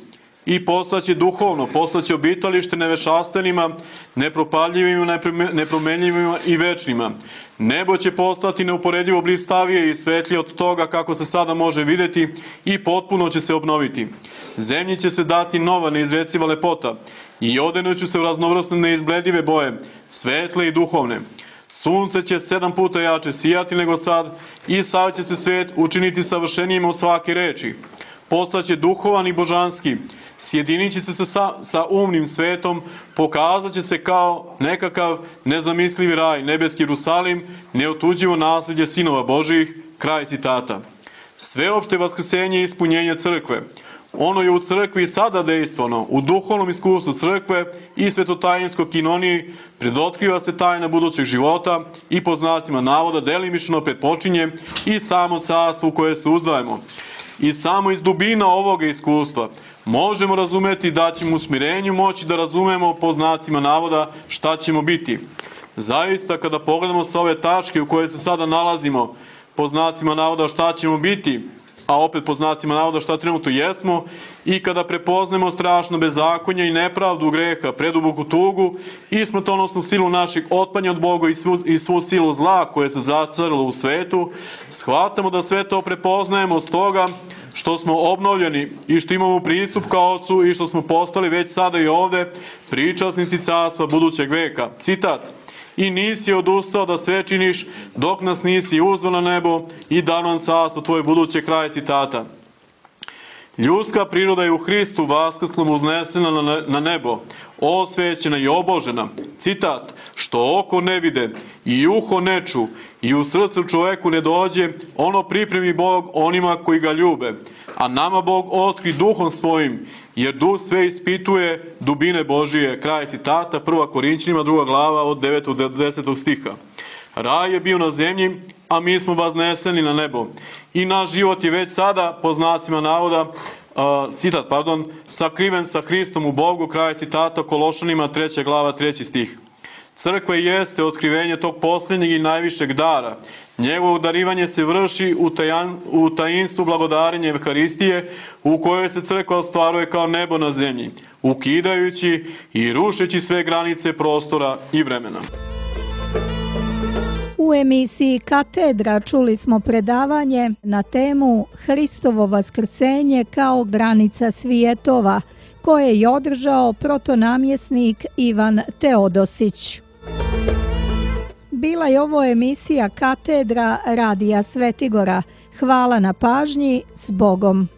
i postaće duhovno, postaće obitalište nevešastenima, nepropadljivima, nepromenljivima i večnima. Nebo će postati neuporedivo blistavije i svetlije od toga kako se sada može videti i potpuno će se obnoviti. Zemlji će se dati nova neizreciva lepota i odenuću se u raznovrsne neizbledive boje, svetle i duhovne. Sunce će sedam puta jače sijati nego sad i sav će se svet učiniti savršenijim od svake reči. Postaće duhovan i božanski, sjedinit će se sa, sa umnim svetom, pokazat će se kao nekakav nezamislivi raj, nebeski Jerusalim, neotuđivo nasljeđe sinova Božijih. Kraj citata. Sveopšte vaskrsenje i ispunjenje crkve. Ono je u crkvi sada dejstveno, u duhovnom iskustvu crkve i svetotajinskoj kinoniji predotkriva se tajna budućeg života i po znacima navoda delimično pretpočinje i samo carstvo u koje se uzdajemo. I samo iz dubina ovoga iskustva možemo razumeti da ćemo u smirenju moći da razumemo po znacima navoda šta ćemo biti. Zaista, kada pogledamo sa ove tačke u koje se sada nalazimo, po znacima navoda šta ćemo biti, a opet po znacima navoda šta trenutno jesmo, i kada prepoznemo strašno bezakonje i nepravdu greha, preduboku tugu i smrtonosnu silu naših otpanja od Boga i svu, i svu silu zla koje se zacarilo u svetu, shvatamo da sve to prepoznajemo s toga što smo obnovljeni i što imamo pristup ka Otcu i što smo postali već sada i ovde pričasnici carstva budućeg veka. Citat: i nisi odustao da sve činiš dok nas nisi uzveo na nebo i dao nam carstvo tvoje buduće. Kraj citata. Ljudska priroda je u Hristu vaskrslom uznesena na, na nebo, osvećena i obožena. Citat: što oko ne vide i uho ne ču i u srcu čoveku ne dođe, ono pripremi Bog onima koji ga ljube. A nama Bog otkri duhom svojim, jer duh sve ispituje dubine Božije. Kraj citata. Prva Korinćanima, druga glava, od devetog do desetog stiha. Raj je bio na zemlji, a mi smo vazneseni na nebo. I naš život je već sada, po znacima navoda, uh, citat, pardon, sakriven sa Hristom u Bogu. Kraj citata. Kološanima, treća glava, treći stih. Crkva jeste otkrivenje tog posljednjeg i najvišeg dara. Njegovo darivanje se vrši u, tajan, u tajinstvu blagodarenja Evharistije, u kojoj se crkva ostvaruje kao nebo na zemlji, ukidajući i rušeći sve granice prostora i vremena. U emisiji Katedra čuli smo predavanje na temu Hristovo vaskrsenje kao granica svjetova, koje je održao protonamjesnik Ivan Teodosić. Bila je ovo emisija Katedra Radija Svetigora. Hvala na pažnji, s Bogom.